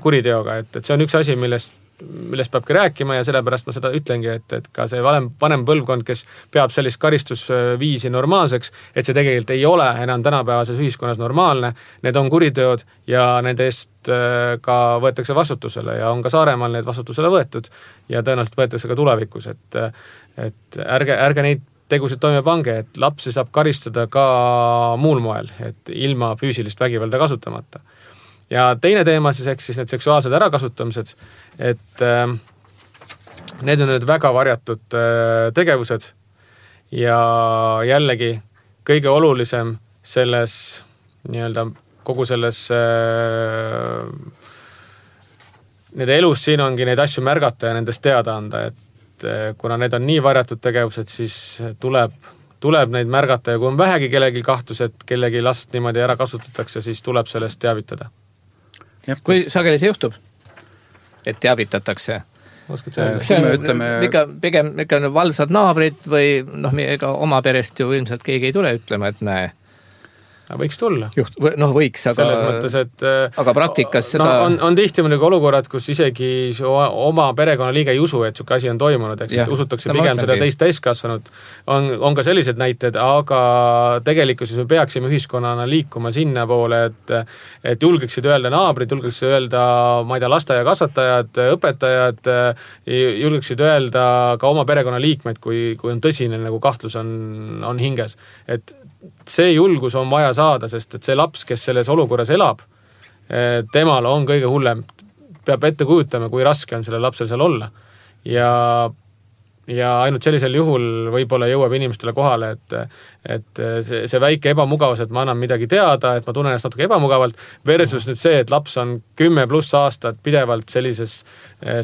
S5: kuriteoga, et, et see on üks asi, millest millest peabki rääkima ja sellepärast ma seda ütlengi, et, et ka see vanem, vanem põlvkond, kes peab sellist karistusviisi normaalseks, et see tegelikult ei ole enam tänapäevases ühiskonnas normaalne, need on kuriteod ja nende eest ka võetakse vastutusele ja on ka Saaremaal need vastutusele võetud ja tõenäoliselt võetakse ka tulevikus, et, et ärge, ärge neid tegusid toime pange, et lapsi saab karistada ka muul moel, et ilma füüsilist vägivalda kasutamata. Ja teine teema siis, ehk siis need seksuaalsed ärakasutamised, et äh, need on nüüd väga varjatud tegevused ja jällegi kõige olulisem selles nii-öelda kogu selles nende elus siin ongi neid asju märgata ja nendest teada anda, et kuna need on nii varjatud tegevused, siis tuleb tuleb neid märgata ja kui on vähegi kellegi kahtlus, et kellegi last niimoodi ära kasutatakse, siis tuleb sellest teavitada.
S1: Kui sageli see juhtub, et teavitatakse? See on ütleme... ikka, pigem ikka valvsad naabrid või noh, ega oma perest ju ilmselt keegi ei tule ütlema, et näe.
S5: Võiks tulla.
S1: Juht, noh, võiks, aga...
S5: Selles mõttes, et...
S1: Aga praktikas seda...
S5: No, on, on tihti mõnegi olukorrad, kus isegi oma perekonna liige ei usu, et suke asi on toimunud, eks, et usutakse pigem seda teist täiskasvanud. On, on ka sellised näited, aga tegelikult me peaksime ühiskonnana liikuma sinna poole, et, et julgeksid öelda naabrid, julgeksid öelda, ma ei tea, lasteaia kasvatajad, õpetajad, julgeksid öelda ka oma perekonna liikmeid, kui, kui on tõsine nagu kahtlus on, on hinges. Et see julgus on vaja saada, sest et see laps, kes selles olukorras elab, temal on kõige hullem. Peab ette kujutama, kui raske on selle lapsel seal olla. Ja, ja ainult sellisel juhul võib-olla jõuab inimestele kohale, et, et see, see väike ebamugavus, et ma annan midagi teada, et ma tunnen ennast natuke ebamugavalt, versus nüüd see, et laps on kümme pluss aastat pidevalt sellises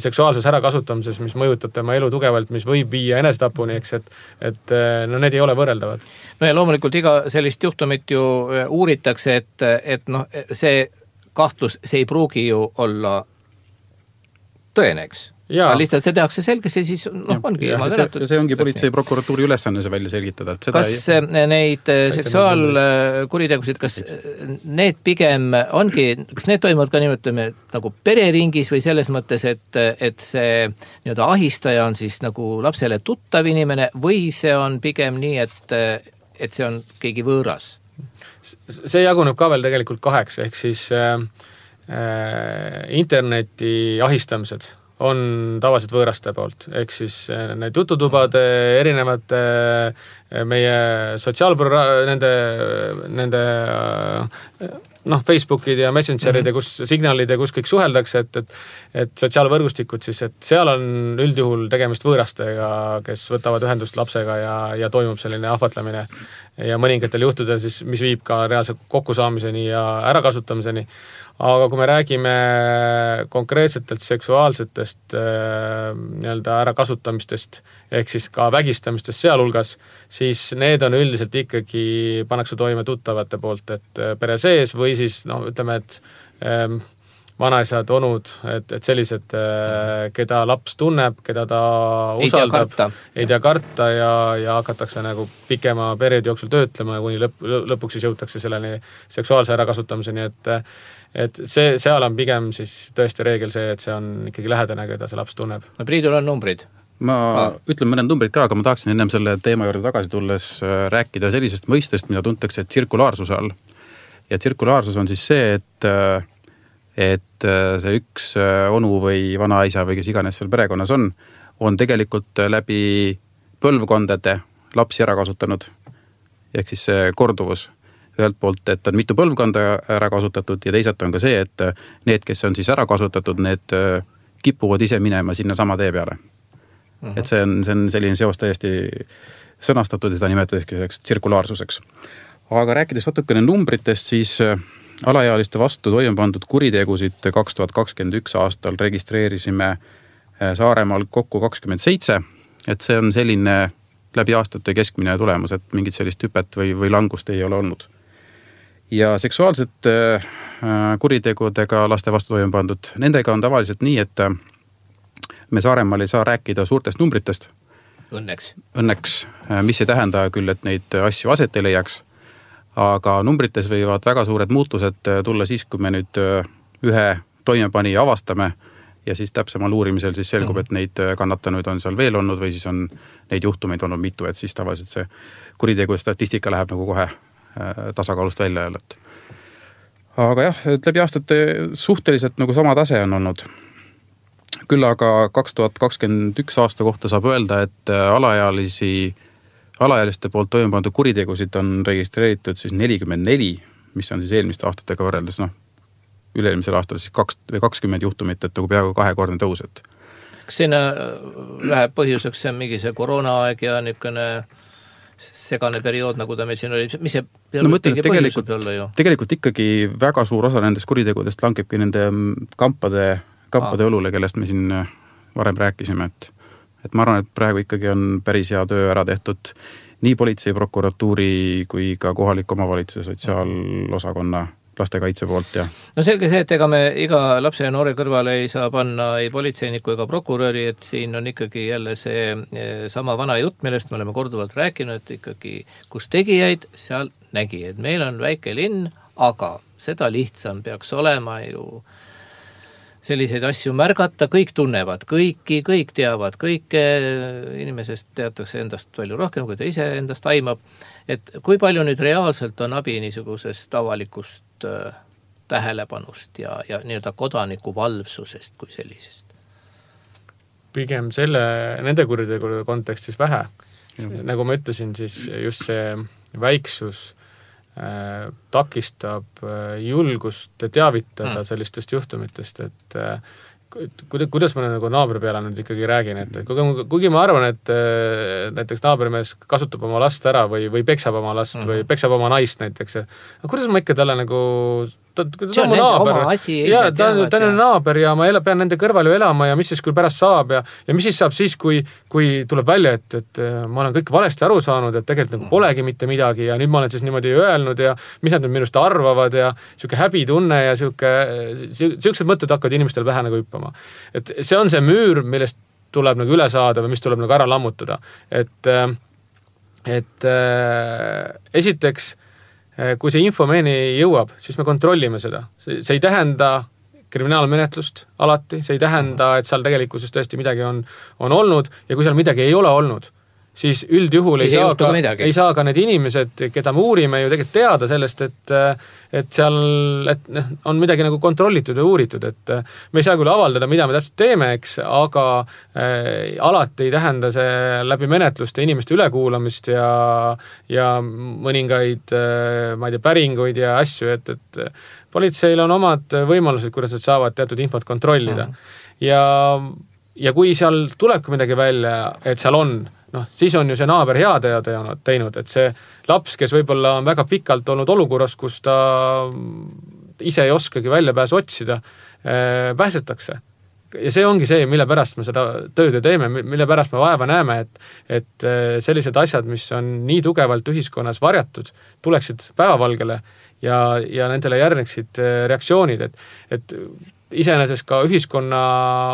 S5: seksuaalses ärakasutamises, mis mõjutab tema elu tugevalt, mis võib viia enesetapuni, eks, et, et no need ei ole võrreldavad.
S1: No ja loomulikult iga sellist juhtumit ju uuritakse, et, et noh, see kahtlus, see ei pruugi ju olla tõeneks. Ja lihtsalt see tehakse selgesse, siis noh, ongi
S4: ja, see, see ongi politsei prokuratuuri ülesanne see välja selgitada. Et seda
S1: kas ei... neid seksuaalkuritegusid, kas need pigem ongi, kas need toimuvad ka nimetame nagu pereringis või selles mõttes, et, et see nii-öelda ahistaja on siis nagu lapsele tuttav inimene või see on pigem nii, et, et see on keegi võõras?
S5: See jaguneb ka veel tegelikult kaheks, ehk siis äh, äh, interneti ahistamised on tavaliselt võõraste poolt, ehk siis need jututubade erinevate meie sotsiaalpro- nende, nende noh, Facebookid ja Messengerid ja kus signaalid ja kus kõik suheldakse, et, et, et sotsiaalvõrgustikud siis, et seal on üldjuhul tegemist võõrastega, kes võtavad ühendust lapsega ja, ja toimub selline ahvatlemine ja mõningatel juhtudel siis, mis viib ka reaalse kokkusaamiseni ja ärakasutamiseni. Aga kui me räägime konkreetsetelt seksuaalsetest äh, nii-öelda ärakasutamistest, ehk siis ka vägistamistest sealhulgas, siis need on üldiselt ikkagi pannakse toime tuttavate poolt, et pere sees või siis, no ütleme, et ähm, vanaisad, onud, et, et sellised, äh, keda laps tunneb, keda ta usaldab, ei tea karta ja, ja hakatakse nagu pikema perioodi jooksul töötlema, kuni lõp, lõpuks siis jõutakse selleni seksuaalse ärakasutamiseni, et et see, seal on pigem siis tõesti reegel see, et see on ikkagi lähedane, keda see laps tunneb.
S1: No Priidul on numbrid.
S4: Ma ah. ütlen mõned numbrid ka, aga ma tahaksin ennem selle teema juurde tagasi tulles rääkida sellisest mõistest, mida tuntakse tsirkulaarsuse all. Ja tsirkulaarsus on siis see, et, et see üks onu või vanaisa või kes iganes seal perekonnas on, on tegelikult läbi põlvkondade lapsi ära kasutanud. Ehk siis see korduvus. Ühelt poolt, et on mitu põlvkonda ära kasutatud ja teisalt on ka see, et need, kes on siis ära kasutatud, need kipuvad ise minema sinna sama tee peale. Uh-huh. Et see on, see on selline seos täiesti sõnastatud ja seda nimetatakse selleks tsirkulaarsuseks. Aga rääkides natukene numbritest, siis alaealiste vastu toime pandud kuritegusid kaks tuhat kakskümmend üks aastal registreerisime Saaremaal kokku kakskümmend seitse, et see on selline läbi aastate keskmine tulemus, et mingit sellist hüpet või, või langust ei ole olnud. Ja seksuaalsete kuritegudega laste vastu toime pandud, nendega on tavaliselt nii, et me Saaremaal ei saa rääkida suurtest numbritest.
S1: Õnneks.
S4: Õnneks, mis ei tähenda küll, et neid asju aset ei leiaks, aga numbrites võivad väga suured muutused tulla siis, kui me nüüd ühe toimepanija avastame ja siis täpsemal uurimisel siis selgub, et neid kannatanuid on seal veel olnud või siis on neid juhtumeid olnud mitu, et siis tavaliselt see kuritegu statistika läheb nagu kohe tasakaalust välja jälle. Aga jah, et läbi aastate suhteliselt nagu sama tase on olnud. Küll aga kaks tuhat kakskümmend üks aasta kohta saab öelda, et alaealisi, alaealiste poolt toime pandud kuritegusid on registreeritud siis nelikümmend neli, mis on siis eelmiste aastatega võrreldes, noh, üle-eelmisel aastal siis kaks või kakskümmend juhtumit, et nagu peaaegu kahekordne tõus, et
S1: kas sinna läheb põhjuseks see mingi see koroonaaeg ja niisugune segane periood, nagu ta meil siin oli, mis see
S4: no mõtlen, et tegelikult, tegelikult ikkagi väga suur osa nendest kuritegudest langebki nende kampade, kampade ah. õlule, kellest me siin varem rääkisime, et, et ma arvan, et praegu ikkagi on päris hea töö ära tehtud nii politsei, prokuratuuri kui ka kohalik omavalitsuse sotsiaalosakonna lastekaitse poolt ja
S1: no selge see, et ega me iga lapse ja noore kõrvale ei saa panna ei politseiniku ega prokuröri, et siin on ikkagi jälle see sama vana jutt, millest me oleme korduvalt rääkinud, et ikkagi kus tegijaid, seal nägijaid. Meil on väike linn, aga seda lihtsam peaks olema ju selliseid asju märgata, kõik tunnevad kõiki, kõik teavad kõike, inimesest teatakse endast palju rohkem, kui ta ise endast aimab. Et kui palju nüüd reaalselt on abi niisugusest avalikust tähelepanust ja, ja nii-öelda kodaniku valvsusest kui sellisest?
S5: Pigem selle, nende kuritegude kontekstis vähe. Nagu ma ütlesin, siis just see väiksus äh, takistab äh, julgust teavitada mm. sellistest juhtumitest, et äh, kuidas ma nagu naabri peale nüüd ikkagi räägin, et kuigi, kuigi ma arvan, et näiteks naabrimees kasutab oma last ära või, või peksab oma last mm-hmm. või peksab oma naist näiteks, aga kuidas ma ikka talle nagu ta, ta, ta on mu naaber, ja, ta, ta on naaber ja ma ela, pean nende kõrval ju elama ja mis siis küll pärast saab ja, ja mis siis saab siis, kui, kui tuleb välja, et, et ma olen kõik valesti aru saanud, et tegelikult nagu polegi mitte midagi ja nüüd ma olen siis niimoodi öelnud ja mis nad nüüd minust arvavad ja siuke häbitunne ja siuke, siuksed mõtted hakkavad inimestel vähe nagu hüppama. Et see on see müür, millest tuleb nagu üle saada või mis tuleb nagu ära lammutada. Et, et esiteks kui see info meieni jõuab, siis me kontrollime seda. See, see ei tähenda kriminaalmenetlust alati, see ei tähenda, et seal tegelikkuses tõesti midagi on, on olnud ja kui seal midagi ei ole olnud, siis üldjuhul siis ei, saa ka, ei saa ka need inimesed, keda me uurime ju tegelikult teada sellest, et, et seal et on midagi nagu kontrollitud ja uuritud, et me ei saa küll avaldada, mida me täpselt teeme, eks, aga äh, alati ei tähenda see läbi menetluste inimeste ülekuulamist ja, ja mõningaid äh, ma ei tea, päringuid ja asju, et, et politseil on omad võimalused, kuidas nad saavad teatud infot kontrollida. Mm. Ja, ja kui seal tulebki midagi välja, et seal on noh, siis on ju see naaber hea teinud, et see laps, kes võib-olla on väga pikalt olnud olukorras, kus ta ise ei oskagi välja pääsu otsida, pääsetakse. Ja see ongi see, mille pärast me seda tööd teeme, mille pärast me vaeva näeme, et, et sellised asjad, mis on nii tugevalt ühiskonnas varjatud, tuleksid päevavalgele ja, ja nendele järgneksid reaktsioonid, et, et iseenesest ka ühiskonna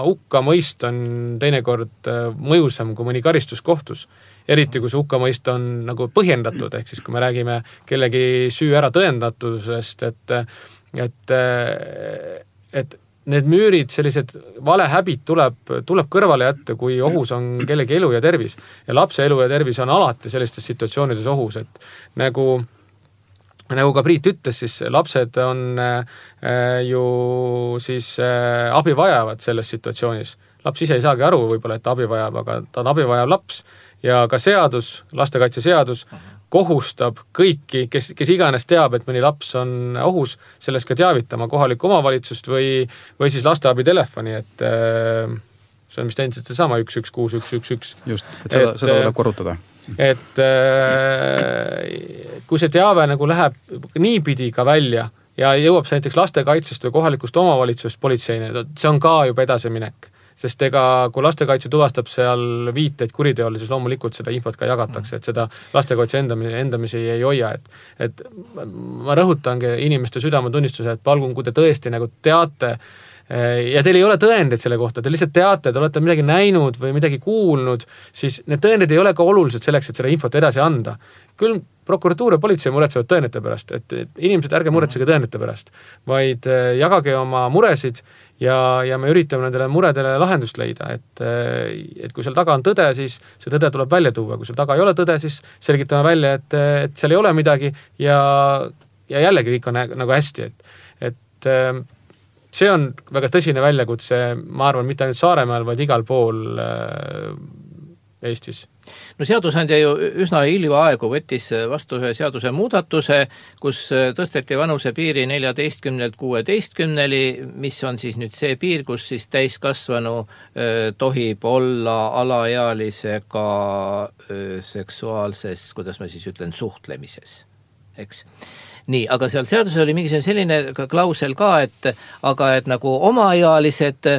S5: hukkamõist on teinekord mõjusam kui mõni karistus kohtus. Eriti kui see hukkamõist on nagu põhjendatud, ehk siis kui me räägime kellegi süü ära tõendatusest, et, et, et need müürid, sellised valehäbid tuleb, tuleb kõrvale jätta, kui ohus on kellegi elu ja tervis. Ja lapse elu ja tervis on alati sellistes situatsioonides ohus, et nagu nagu ka Priit ütles, siis lapsed on äh, ju siis äh, abi vajavad selles situatsioonis. Laps ise ei saagi aru võib-olla, et abi vajab, aga ta on abi vajav laps ja ka seadus, lastekaitseseadus kohustab kõiki, kes, kes iganes teab, et mõni laps on ohus, sellest ka teavitama kohalikku omavalitsust või, või siis lasteabi telefoni, et äh, see on vist endiselt see sama üks üks kuus üks üks üks.
S4: Just, et seda, et, seda tuleb korrutada.
S5: Et kui see teave nagu läheb niipidi ka välja ja jõuab see näiteks lastekaitsest või kohalikust omavalitsusest politseini, see on ka juba edasiminek. Sest ega kui lastekaitse tuvastab seal viiteid kuriteole, siis loomulikult seda infot ka jagatakse, et seda lastekaitse endamisi, endamisi ei hoia. Et, et ma rõhutangi inimeste südametunnistuse, et palgun, kui te tõesti nagu teate ja teil ei ole tõendeid selle kohta, te lihtsalt teate, te olete midagi näinud või midagi kuulnud, siis need tõendid ei ole ka olulised selleks, et seda infot edasi anda. Küll prokuratuur ja politsei muretsevad tõendite pärast, et, et inimesed ärge muretsege tõendite pärast, vaid jagage oma muresid ja, ja me üritame nendele muredele lahendust leida, et, et kui seal taga on tõde, siis see tõde tuleb välja tuua, kui seal taga ei ole tõde, siis selgitame välja, et, et seal ei ole midagi ja, ja jällegi kõik on nagu hästi, et, et see on väga tõsine väljakutse, ma arvan, mitte ainult Saaremaal, vaid igal pool Eestis?
S1: No seadusandja ju üsna hiljaaegu võttis vastu ühe seaduse muudatuse, kus tõsteti vanusepiiri neljateistkümnelt kuueteistkümneni, mis on siis nüüd see piir, kus siis täiskasvanu tohib olla alaealisega seksuaalses, kuidas ma siis ütlen, suhtlemises, eks. Nii, aga seal seadus oli mingi selline klausel ka, et aga et nagu omaealised,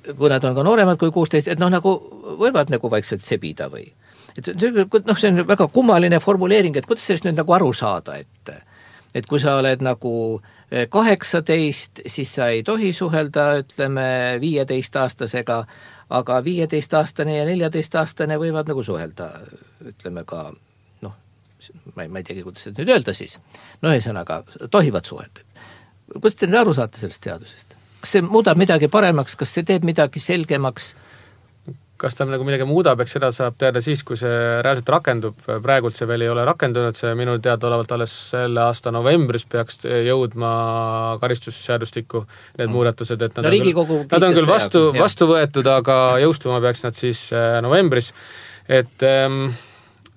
S1: kui nad on ka nooremad kui kuusteist, et noh, nagu võivad nagu vaikselt sebida või. Et noh, see on väga kummaline formuleering, et kuidas sellest nüüd nagu aru saada, et, et kui sa oled nagu kaheksateist, siis sa ei tohi suhelda, ütleme, viieteist-aastasega, aga viieteist-aastane ja neljateist-aastane võivad nagu suhelda, ütleme ka, noh, ma ei, ma ei teagi, kuidas seda nüüd öelda siis. No ühesõnaga, tohivad suhelda. Kuidas te nüüd aru saate sellest seadusest? Kas see muudab midagi paremaks, kas see teeb midagi selgemaks?
S5: Kas ta nagu midagi muudab, eks seda saab teada siis, kui see reaalselt rakendub. Praegult see veel ei ole rakendunud, see minu teada olevalt alles selle aasta novembris peaks jõudma karistusseadustikku need mm. muudatused, et nad, no, on, küll, nad on küll vastu, jaoks, vastu võetud, aga jõustuma peaks nad siis novembris. Et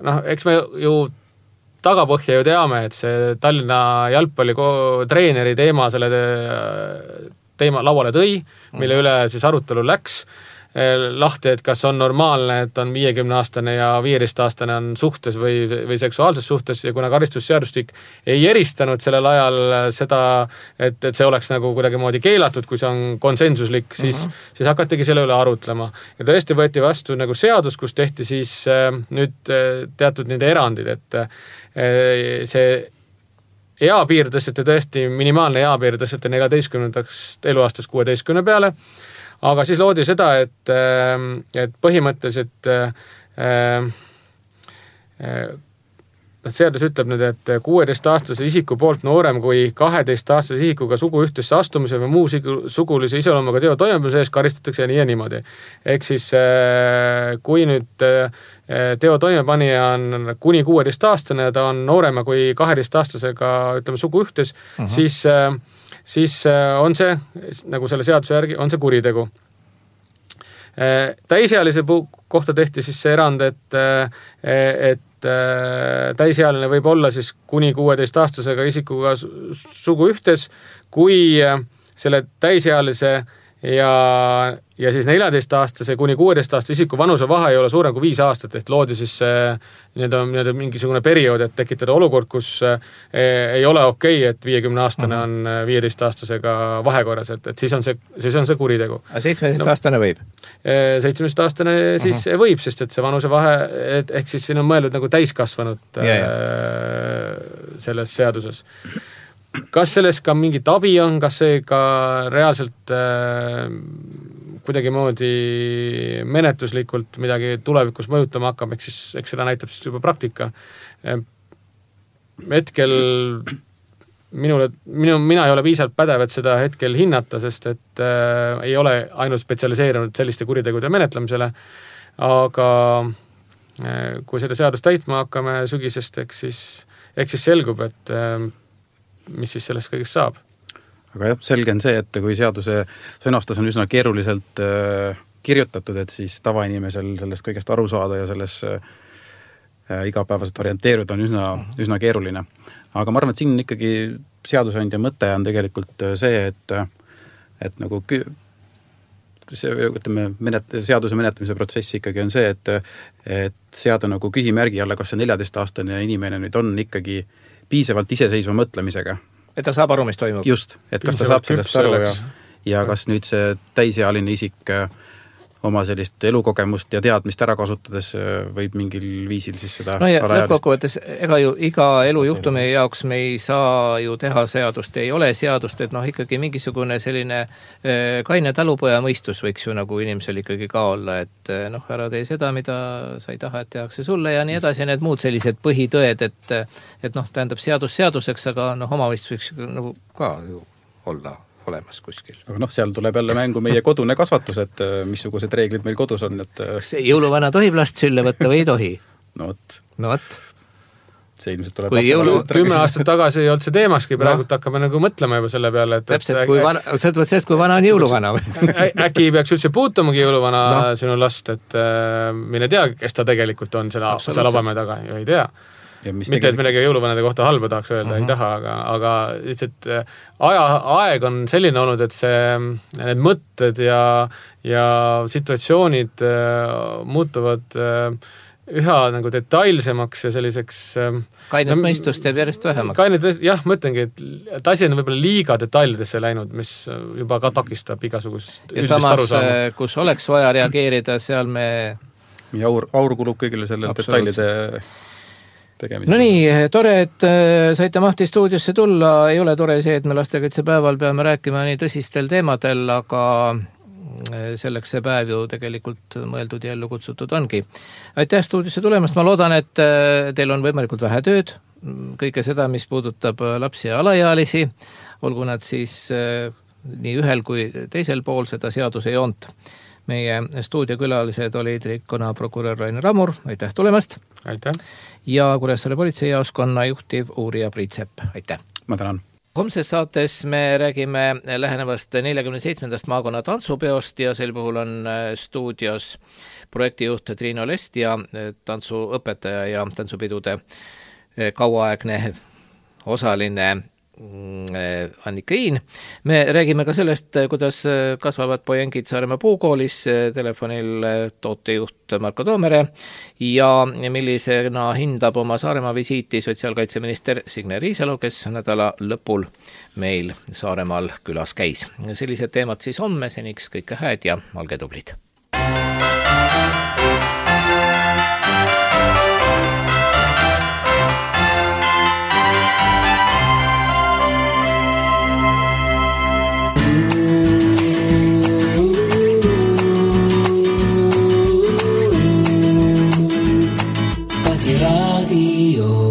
S5: noh, eks me ju tagapõhja ju teame, et see Tallinna jalgpalli treeneri teema selle teema lauale tõi, mille üle siis arutelu läks lahti, et kas on normaalne, et on viiekümne-aastane ja viieteist-aastane on suhtes või, või seksuaalses suhtes ja kuna karistusseadustik ei eristanud sellel ajal seda, et, et see oleks nagu kuidagi moodi keelatud, kui see on konsensuslik, siis, uh-huh. siis hakatigi selle üle arutlema. Ja tõesti võeti vastu nagu seadus, kus tehti siis äh, nüüd äh, teatud nende erandid, et äh, see eapiir tõsteti tõesti, minimaalne eapiir tõsteti neljateistkümnendaks eluaastast kuueteistkümne peale, aga siis loodi seda, et, et põhimõtteliselt seadus ütleb nüüd, et kuueteist-aastase isiku poolt noorem kui kaheteist-aastase isikuga suguühtesse astumise või muu sugulise iseloomuga teo toimepanemise eest karistatakse nii ja niimoodi. Ehk siis kui nüüd teo toimepanija on kuni kuueteist-aastane ja ta on noorema kui kaheteist-aastasega, ütleme, suguühtes, uh-huh. siis siis on see, nagu selle seaduse järgi, on see kuritegu. Täisealise kohta tehti siis see erand, et, et täisealine võib olla siis kuni kuueteist-aastasega isikuga suguühtes, kui selle täisealise ja, ja siis neljateist-aastase kuni kuueteist-aastase isiku vanuse vahe ei ole suurem kui viis aastat, et loodi siis nii-öelda, nii-öelda mingisugune periood, et tekitada olukord, kus ei ole okei, et viiekümne-aastane on viieteist-aastasega vahekorras, et, et siis on see, siis on see kuritegu.
S1: A seitsmeteist-aastane võib?
S5: seitsmeteist-aastane siis uh-huh. võib, sest et see vanuse vahe, et, ehk siis siin on mõeldud nagu täiskasvanud ja, ja. selles seaduses. Kas sellest ka mingit abi on, kas see ka reaalselt äh, kuidagi moodi menetluslikult midagi tulevikus mõjutama hakkab, eks, siis, eks seda näitab siis juba praktika. Hetkel minule, minu, mina ei ole piisavalt pädev, et seda hetkel hinnata, sest et äh, ei ole ainult spetsialiseerunud selliste kuritegude menetlemisele, aga äh, kui seda seadust täitma hakkame sügisest, eks siis, eks siis selgub, et äh, mis siis sellest kõigest saab.
S4: Aga jah, selge on see, et kui seaduse sõnastus on üsna keeruliselt äh, kirjutatud, et siis tavainimesel sellest kõigest aru saada ja selles äh, igapäevaselt orienteeruda on üsna, üsna keeruline. Aga ma arvan, et siin ikkagi seadusandja mõte on tegelikult see, et, et nagu see, ütleme, menet, seaduse menetlemise protsessi ikkagi on see, et, et seada nagu küsimärgi alla, kas see neljateist-aastane inimene nüüd on ikkagi piisavalt iseseisva mõtlemisega.
S1: Et ta saab aru, mis toimub.
S4: Just, et kas ta saab sellest aru ja, ja kas nüüd see täisealine isik oma sellist elukogemust ja teadmist ära kasutades võib mingil viisil siis seda
S1: no ja lõppkokkuvõttes, ega ju iga elujuhtumi jaoks me ei saa ju teha seadust, ei ole seadust, et noh, ikkagi mingisugune selline kaine talupoja mõistus võiks ju nagu inimesel ikkagi ka olla, et noh, ära tee seda, mida sa ei taha, et tehakse sulle ja nii edasi, need muud sellised põhitõed, et, et noh, tähendab seadus seaduseks, aga noh, omavõistus võiks nagu ka ju olla olemas kuskil. Aga
S4: noh, seal tuleb jälle mängu meie kodune kasvatus, et missugused reeglid meil kodus on. Et...
S1: Kas jõuluvana tohib last sülle võtta või ei tohi?
S4: No võt.
S1: No võt.
S4: see ilmselt tuleb
S1: Kui jõulu-
S5: kümme aastat tagasi ei olnud see teemakski, praegu no. hakkame nagu mõtlema juba selle peale, et
S1: täpselt, kui vana, sõltuvalt sellest, kui vana on jõuluvana.
S5: Äkki ei peaks üldse puutumagi jõuluvana no. sinu last, et äh, mine tea, kes ta tegelikult on selle, selle labamäe taga, ju ei tea. Ja mitte, tegelikult... et midagi jõuluvanade kohta halba tahaks öelda, uh-huh. ei taha, aga, aga lihtsalt aja, aeg on selline olnud, et see, need mõtted ja, ja situatsioonid äh, muutuvad äh, üha nagu detailsemaks ja selliseks
S1: kainet no, mõistust jääb järjest vähemaks.
S5: Kainet, jah, mõtlengi, et, et asi on võib-olla liiga detailidesse läinud, mis juba ka takistab igasugust
S1: ja samas, kus oleks vaja reageerida, seal me
S4: ja aur, aur kulub kõigile selle detailide tegemisel.
S1: No nii, tore, et saite Mahti stuudiosse tulla, ei ole tore see, et me lastekaitsepäeval peame rääkima nii tõsistel teemadel, aga selleks see päev ju tegelikult mõeldud ja ellu kutsutud ongi. Aitäh stuudiosse tulemast, ma loodan, et teil on võimalikult vähe tööd, kõike seda, mis puudutab lapsi ja alaealisi, olgu nad siis nii ühel kui teisel pool seda seaduse joont. Meie stuudiokülalised olid Rikkona prokurör Rainer Rammur, aitäh tulemast!
S5: Aitäh!
S1: Ja Kuressaare politseijaoskonna juhtiv uurija Priit Sepp, aitäh!
S4: Ma tänan!
S1: Homses saates me räägime lähenevast neljakümne seitsmendast maakonna tantsupeost ja sel puhul on stuudios projektijuht Triino Lest ja tantsuõpetaja ja tantsupidude kauaaegne osaline Annika Iin. Me räägime ka sellest, kuidas kasvavad pojengid Saaremaa puukoolis, telefonil tootejuht Marko Toomere ja millisena hindab oma Saaremaa visiiti sotsiaalkaitseminister Signe Riisalo, kes nädala lõpul meil Saaremaal külas käis. Sellised teemad siis homme, seniks kõike hääd ja olge tublid!
S6: Radio